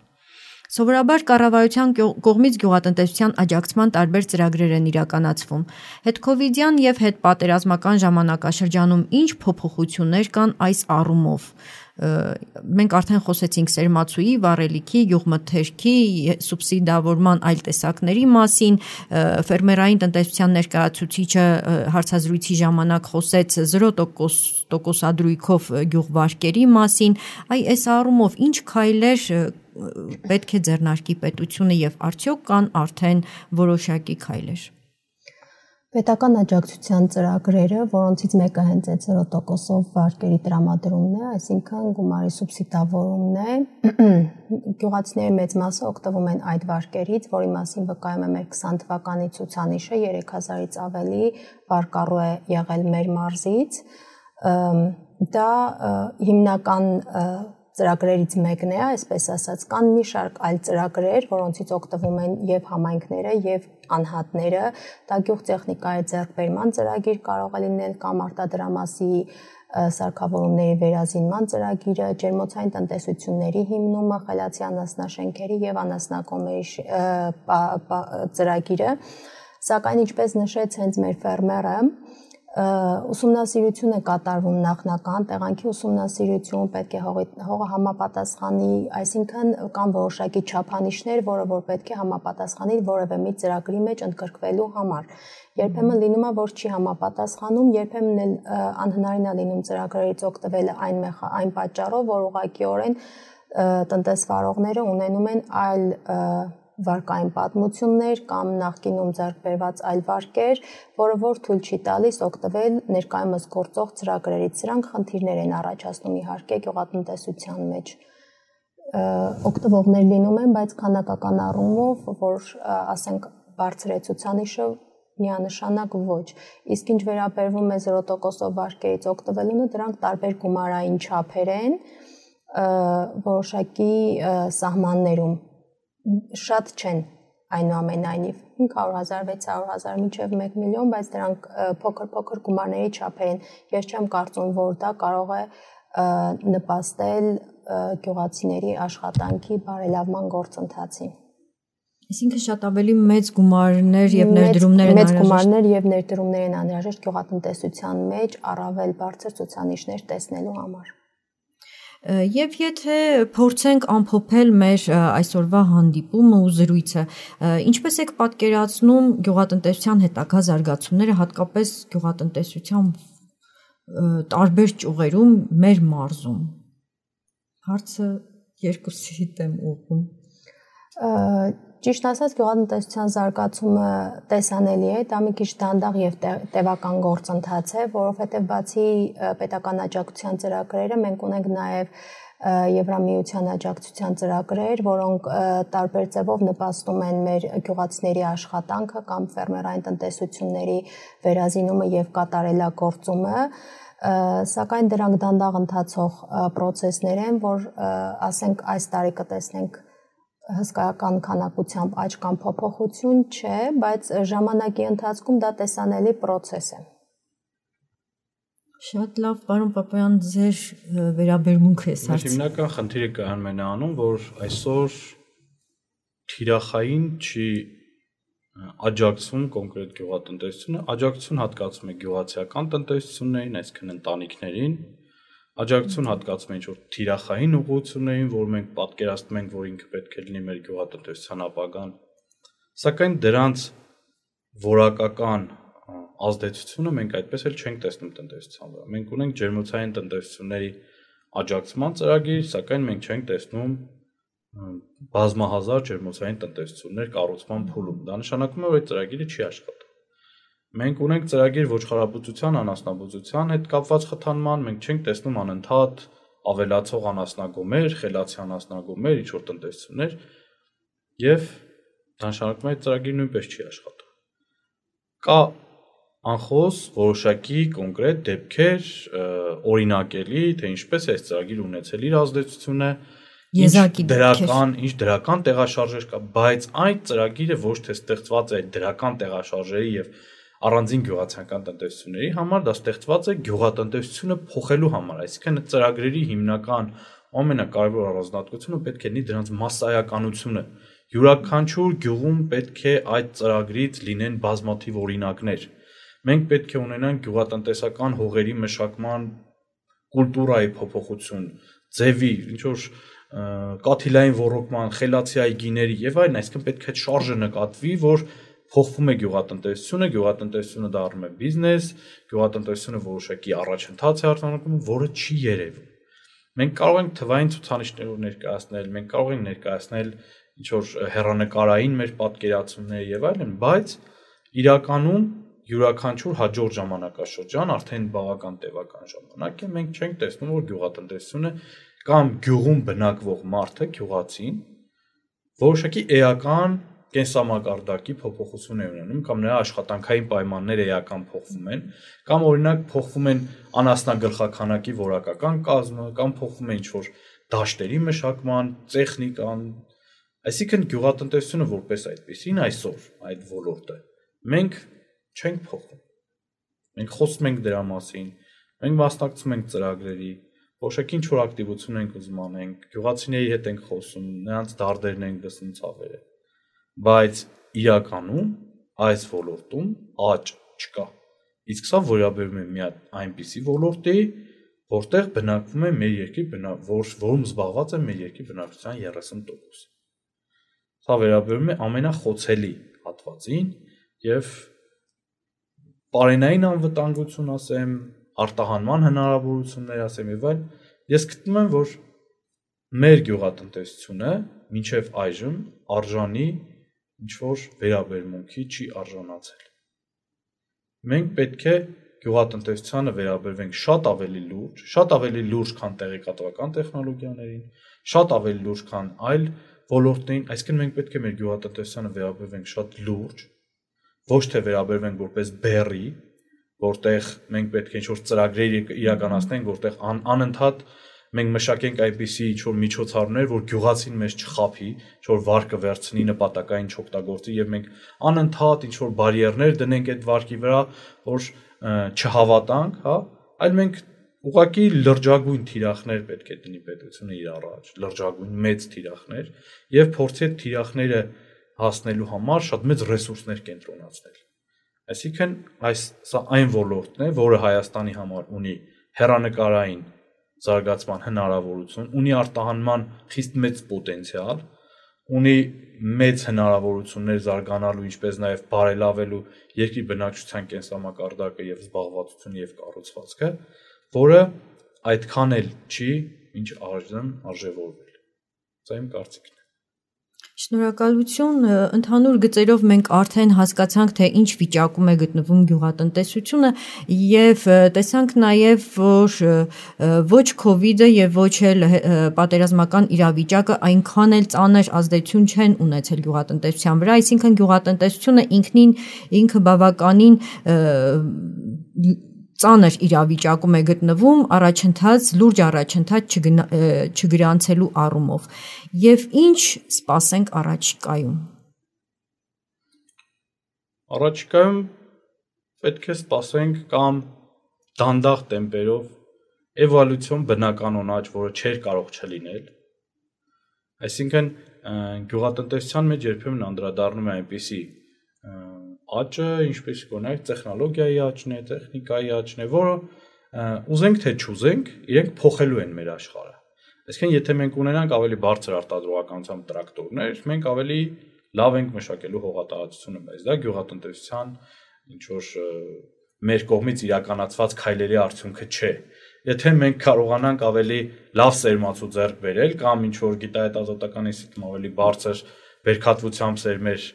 Սովորաբար կառավարության կողմից գյուղատնտեսության աջակցման տարբեր ծրագրեր են իրականացվում։ Հետքովիդյան եւ հետպատերազմական ժամանակաշրջանում ինչ փոփոխություններ կան այս առումով։ Մենք արդեն խոսեցինք սերմացուի, վառելիքի, գյուղմթերքի, սուբսիդավորման այլ տեսակների մասին, ֆերմերային տնտեսության ներկայացուցիչը հարցազրույցի ժամանակ խոսեց 0% գյուղվարկերի մասին, այս առումով ինչ քայլեր պետք է ձեռնարկի պետությունը եւ արդյոք կան արդեն որոշակի քայլեր։ Պետական աջակցության ծրագրերը, որոնցից մեկը հենց այդ 0%-ով վարկերի տրամադրումն է, այսինքն գումարի սուբսիդավորումն է, գյուղացիների մեծ մասը օգտվում են այդ վարկերից, որի մասին վկայում է մեր 20 թվականի ցուցանիշը, 3000-ից ավելի վարկառու է եղել մեր մարզից։ Դա հիմնական ծրագրերից մեկն է, այսպես ասած, կան մի շարք այլ ծրագրեր, որոնցից օգտվում են եւ համայնքները եւ անհատները, դա գյուղտեխնիկայի ձեռքբերման ծրագիր կարող է լինել կամ արտադրամասի սարքավորումների վերազինման ծրագիրը, ջերմոցային տնտեսությունների հիմնումը, խելացի անասնաշենքերի եւ անասնակոմերի ծրագիրը, սակայն ինչպես նշեց հենց մեր ֆերմերը, ուսումնասիրություն է կատարվում նախնական, տեղանքի ուսումնասիրություն, պետք է հողը համապատասխանի, այսինքն կան որոշակի չափանիշներ, որը որ պետք է համապատասխանի որևէ մի ծրագրի մեջ ընդգրկվելու համար։ Երբեմն լինում է, որ չի համապատասխանում, երբեմն էլ անհնարին է լինում ծրագրերից օգտվել այն պատճառով, որ ուղղակիորեն տնտեսվարողները ունենում են այլ վարկային պատմություններ կամ նախկինում ձեռք բերված այլ վարկեր, որը որ թույլ չի տալիս օգտվել ներկայումս գործող ծրագրերից։ Սրանք խնդիրներ են առաջացնում իհարկե գյուղատնտեսության մեջ։ Օգտվողներ լինում են, բայց քանակական առումով, որ ասենք բարձր է ցուցանիշը, միանշանակ ոչ։ Իսկ ինչ վերաբերվում է 0%-ով վարկերից օգտվելուն, դրանք տարբեր գումարային չափեր են, որոշակի սահմաններում շատ չեն այնուամենայնիվ 500,000, 600,000 մինչև 1 միլիոն, բայց դրանք փոքր գումարների չափեր են։ Ես չեմ կարծում, որ դա կարող է նպաստել գյուղացիների աշխատանքի բարելավման գործընթացին։ Այսինքն շատ ավելի մեծ գումարներ եւ ներդրումներ են անհրաժեշտ։ Մեծ գումարներ եւ ներդրումներ են անհրաժեշտ գյուղատնտեսության մեջ առավել բարձր ցուցանիշներ տեսնելու համար։ Եվ եթե փորձենք ամփոփել մեր այսօրվա հանդիպումը ու զրույցը, ինչպես եք պատկերացնում գյուղատնտեսության հետագա զարգացումները, հատկապես գյուղատնտեսության տարբեր ճյուղերում մեր մարզում։ Հարցը երկուսիդ եմ ուղղում։ Ճիշտ ասած, գյուղատնտեսության զարգացումը տեսանելի է, դա մի քիչ դանդաղ եւ տևական գործընթաց է, որովհետեւ բացի պետական աջակցության ծրագրերը, մենք ունենք նաեւ Եվրամիության աջակցության ծրագրեր, որոնք տարբեր ձևով նպաստում են մեր գյուղացիների աշխատանքը կամ ֆերմերային տնտեսությունների վերազինումը եւ կատարելագործումը, սակայն դրանք դանդաղ ընթացող process-ներ են, որ ասենք այս տարի կտեսնենք հսկայական քանակությամբ աճ կամ փոփոխություն չէ, բայց ժամանակի ընթացքում դա տեսանելի process է։ Շատ լավ, պարոն Պապայան, ձեր վերաբերմունքը է սարց։ Հիմնական խնդիրը կայանում է նրանում, որ այսօր թիրախային չի աջակցում կոնկրետ գյուղատնտեսությունը, աջակցություն հատկացում է գյուղացիական տնտեսություններին, այսինքն ընտանիքներին, աջակցություն հատկացում է ինչ-որ թիրախային ուղղություններին, որ մենք պատկերացնում ենք, որ ինքը պետք է լինի մեր գյուղատնտեսության ապագան, սակայն դրանց որակական ազդեցությունը մենք այդպես էլ չենք տեսնում տնտեսության վրա։ Մենք ունենք ջերմոցային տնտեսությունների աջակցման ծրագիր, սակայն մենք չենք տեսնում բազմահազար ջերմոցային տնտեսություններ կառուցման փուլում։ Դա նշանակում է, որ այդ ծրագիրը չի աշխատում։ Մենք ունենք ծրագիր ոչխարաբուծության, անասնաբուծության հետ կապված խթանման, մենք չենք տեսնում անընդհատ ավելացող անասնագոմեր, խելացի անասնագոմեր, ինչ-որ տնտեսություններ, եւ դա նշանակում է այդ ծրագիրը նույնպես չի աշխատում։ Կա անխոս որոշակի կոնկրետ դեպքեր օրինակելի, թե ինչպես է այս ծրագիրը ունեցել իր ազդեցությունը, ինչ դրական տեղաշարժեր կա, բայց այդ ծրագիրը ոչ թե ստեղծված է դրական տեղաշարժերի եւ առանձին գյուղացիական տնտեսությունների համար, դա ստեղծված է գյուղատնտեսությունը փոխելու համար, այսինքն ծրագրերի հիմնական ամենակարևոր առանձնահատկությունը պետք է լինի դրանց մասսայականությունը։ Յուրաքանչյուր գյուղում պետք է այդ ծրագրից լինեն բազմաթիվ օրինակներ։ Մենք պետք է ունենանք գյուղատնտեսական հողերի մշակման կուլտուրայի փոփոխություն, ձևի, ինչ որ կաթիլային ոռոգման, խելացի այգիների եւ այլն, այսինքն պետք է այդ շարժը նկատվի, որ փոխվում է գյուղատնտեսությունը դառնում է բիզնես, գյուղատնտեսությունը որոշակի առաջընթաց է արտանետում, որը չի երևում։ Մենք կարող ենք թվային ցուցանիշներով ներկայացնել, մենք կարող ենք ներկայացնել ինչ որ հեռանկարային մեր պատկերացումներ եւ այլն, բայց իրականում յուրաքանչյուր հաջորդ ժամանակաշրջան արդեն բավական տևական ժամանակ է, մենք չենք տեսնում, որ գյուղատնտեսությունը կամ գյուղում բնակվող մարդը, գյուղացին, որոշակի էական կենսամակարդակի փոփոխություն է ունենում, կամ նրա աշխատանքային պայմանները էական փոխվում են, կամ օրինակ փոխվում են անասնագլխաքանակի որակական կազմը, կամ փոխվում է ինչ-որ դաշտերի մշակման, տեխնիկան, այսինքն գյուղատնտեսությունը որպես այդպեսին այսօր այդ ոլորտը մենք չենք փոխում։ Մենք խոսում ենք դրա մասին, մենք մասնակցում ենք ծրագրերի, որոշակի ինչ-որ ակտիվություն ենք ուզում անենք, գյուղացիների հետ ենք խոսում, նրանց դարդերն ենք լսում ցավերը, բայց իրականում այս ոլորտում աճ չկա։ Իսկ սա վերաբերում է մի այնպիսի ոլորտի, որտեղ բնակվում է մեր երկրի որում զբաղված է մեր երկրի բնակչության 30%։ Սա վերաբերում է ամենախոցելի հատվածին եւ պարենային անվտանգություն ասեմ, արտահանման հնարավորություններ ասեմ եւ այլն, ես գտնում եմ, որ մեր գյուղատնտեսությունը մինչեւ այժմ արժանի ինչ-որ վերաբերմունքի չի արժանացել։ Մենք պետք է գյուղատնտեսությանը վերաբերվենք շատ ավելի լուրջ, քան տեղեկատվական տեխնոլոգիաներին, շատ ավելի լուրջ, քան այլ ոլորտներին, այսինքն մենք պետք է մեր գյուղատնտեսությանը վերաբերվենք շատ լուրջ, ոչ թե վերաբերվենք որպես բեռի, որտեղ մենք պետք է ինչ-որ ծրագրեր իրականացնենք, որտեղ անընդհատ մենք մշակենք այնպիսի ինչ-որ միջոցառումներ, որ գյուղացին մեզ չխափի, ինչ-որ վարկը վերցնի, նպատակային չօգտագործի եւ մենք անընդհատ ինչ-որ բարիերներ դնենք այդ վարկի վրա, որ չհավատանք, հա, այլ մենք ուղղակի լրջագույն թիրախներ պետք է դնի պետությունը իր առաջ, լրջագույն մեծ թիրախներ եւ փորձի այդ թիրախները հասնելու համար շատ մեծ ռեսուրսներ կենտրոնացնել։ Այսինքն սա այն ոլորտն է, որը Հայաստանի համար ունի հեռանկարային զարգացման հնարավորություն, ունի արտահանման խիստ մեծ պոտենցիալ, ունի մեծ հնարավորություններ զարգանալու, ինչպես նաև բարելավելու երկրի բնակչության կենսամակարդակը եւ զբաղվածությունը եւ կառուցվածքը, որը այդքան էլ չի, ինչ արժևորվել։ Սա իմ կարծիքն է։ Շնորհակալություն, ընդհանուր գծերով մենք արդեն հասկացանք, թե ինչ վիճակում է գտնվում գյուղատնտեսությունը եւ տեսանք նաեւ, որ ոչ COVID-ը եւ ոչ էլ պատերազմական իրավիճակը այնքան էլ ծանր ազդեցություն չեն ունեցել գյուղատնտեսության վրա, այսինքն գյուղատնտեսությունը ինքը բավականին ծանր իրավիճակում է գտնվում առաջընթաց, լուրջ առաջընթաց չգրանցելու առումով։ Եվ ինչ սպասենք առաջիկայում։ Առաջիկայում պետք է սպասենք կամ դանդաղ տեմպերով էվոլյուցիոն բնականոն աճ, որը չէր կարող չլինել։ Այսինքն գյուղատնտեսության մեջ երբեմն անդրադառնում է այնպիսի աճը, ինչպես կոնակ տեխնոլոգիայի աճն է, տեխնիկայի աճն է, որը ուզենք թե չուզենք, իրենք փոխելու են մեր աշխարհը։ Այսինքն եթե մենք ունենանք ավելի բարձր արտադրողականությամբ տրակտորներ, մենք ավելի լավ ենք մշակելու հողատարածությունը, բայց դա գյուղատնտեսության ինչ որ մեր կողմից իրականացված քայլերի արդյունքը չէ։ Եթե մենք կարողանանք ավելի լավ սերմացու ձեռք բերել կամ ինչ որ գիտահետազոտական ինստիտուտում ավելի բարձր բերքատվությամբ սերմեր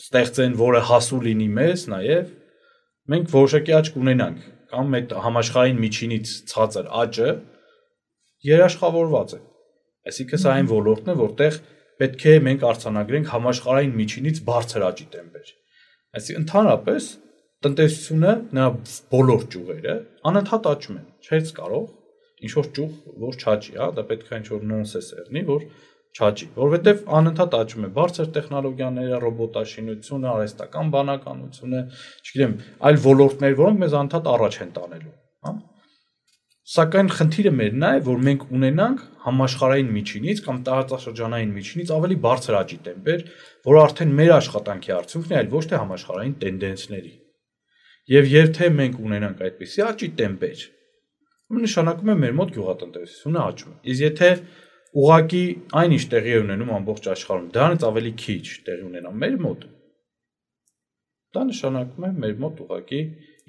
ստեղծեն, որը հասու լինի մեզ, նաև մենք որոշակի աճ կունենանք կամ այդ համաշխարհային միջինից ցածր աճը երաշխավորված է։ Այսինքն սա այն ոլորտն է, որտեղ պետք է մենք արձանագրենք համաշխարհային միջինից բարձր աճի տեմպեր։ Այսինքն ընդհանրապես տնտեսությունը նրա բոլոր ճյուղերը անընդհատ աճում են, չէ՞ կարող ինչ որ ճյուղ որ չաճի, հա, դա պետք է ինչ որ նոնսենս եղնի, որ չաճի, որովհետև անընդհատ աճում է բարձր տեխնոլոգիաները, ռոբոտաշինությունը, արհեստական բանականությունը, չգիտեմ, այլ ոլորտներ, որոնք մեզ անընդհատ առաջ են տանելու, հա։ Սակայն խնդիրը մերն է, որ մենք ունենանք համաշխարհային միջինից կամ տարածաշրջանային միջինից ավելի բարձր աճի տեմպեր, որը արդեն մեր աշխատանքի արդյունքն է, այլ ոչ թե համաշխարհային տենդենսների։ Եվ եթե մենք ունենանք այդպիսի աճի տեմպեր, նշանակում է մեր մոտ գյուղատնտեսությունը աճում է։ Իսկ եթե ուղղակի այնինչ տեղի է ունենում ամբողջ աշխարհում, դրանից ավելի քիչ տեղի ունենա մեր մոտ, դա նշանակում է մեր մոտ ուղղակի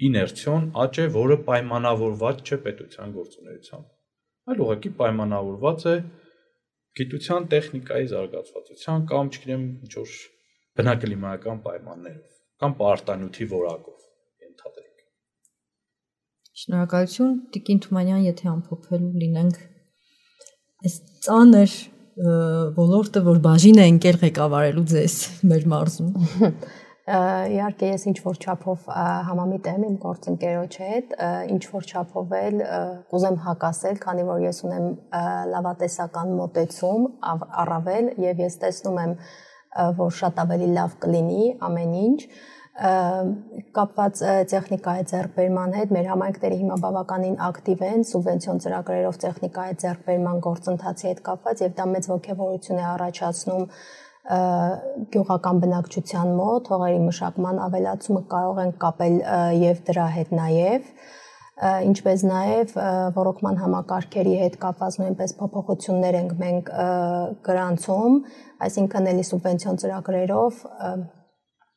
իներցիոն աճ է, որը պայմանավորված չէ պետության գործունեությամբ, այլ ուղղակի պայմանավորված է գիտության, տեխնիկայի զարգացվածության կամ, չգիտեմ, ինչ-որ բնակլիմայական պայմաններով կամ պարտանյութի որակով ենթադրենք։ Շնորհակալություն, Տիկին Թումանյան, եթե ամփոփելու լինենք այս ծանր ոլորտը, որ բաժին է ընկել ղեկավարելու ձեզ մեր մարզում։ Իհարկե ես ինչ որ չափով համամիտ եմ իմ գործընկերոջ հետ, ինչ որ չափով էլ կուզեմ հակասել, քանի որ ես ունեմ լավատեսական մոտեցում առավել եւ ես տեսնում եմ, որ շատ ավելի լավ կլինի ամեն ինչ, կապված տեխնիկայի ձեռքբերման հետ մեր համայնքները հիմա բավականին ակտիվ են սուբվենցիոն ծրագրերով տեխնիկայի ձեռքբերման գործընթացի հետ կապված եւ դա մեծ ոգևորություն է առաջացնում գյուղական բնակչության մոտ, հողերի մշակման ավելացումը կարող են կապել եւ դրա հետ նաեւ, ինչպես նաեւ ռոռոկման համակարգերի հետ կապված նույնպես փոփոխություններ ենք մենք գրանցում, այսինքն ելի սուբվենցիոն ծրագրերով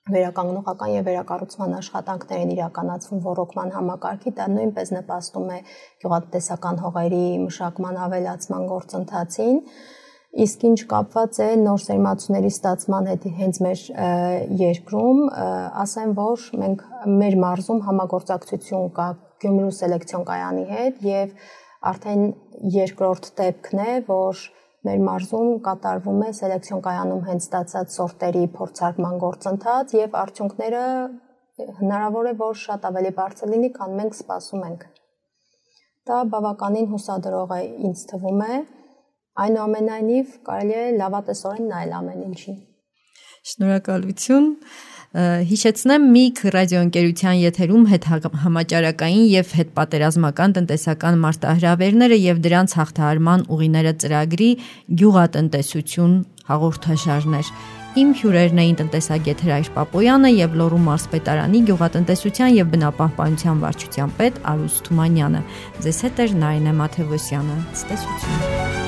վերականգնողական եւ վերակառուցման աշխատանքներ են իրականացվում ռոռոկման համակարգի, դա նույնպես նպաստում է գյուղատնտեսական հողերի մշակման ավելացման գործընթացին։ Իսկ ինչ կապված է նոր սերմացուների ստացման հետ հենց մեր երկրում, ասեմ, որ մենք մեր մարզում համագործակցություն կա Գյումրու սելեկցիոն կայանի հետ եւ արդեն երկրորդ դեպքն է, որ մեր մարզում կատարվում է սելեկցիոն կայանում հենց ստացած սորտերի փորձարկման գործընթաց եւ արդյունքները հնարավոր է, որ շատ ավելի բարձր լինի, քան մենք սպասում ենք։ Դա բավականին հուսադրող է ինձ թվում է։ Այնուամենայնիվ կարելի է լավատեսորեն նայել ամեն ինչին։ Շնորհակալություն։ Հիշեցնեմ ՄԻԳ ռադիոընկերության եթերում հետհամաճարակային եւ հետպատերազմական տնտեսական մարտահրավերները եւ դրանց հաղթահարման ուղիները ծրագրի գյուղատնտեսություն հաղորդաշարներ։ Իմ հյուրերն էին տնտեսագետ Հրայր Պապոյանը եւ Լոռու մարզպետարանի գյուղատնտեսության եւ բնապահպանության վարչության պետ Արուս Թումանյանը։ Ձեզ հետ էր Նարինե Մաթևոսյանը։ Ցտեսություն։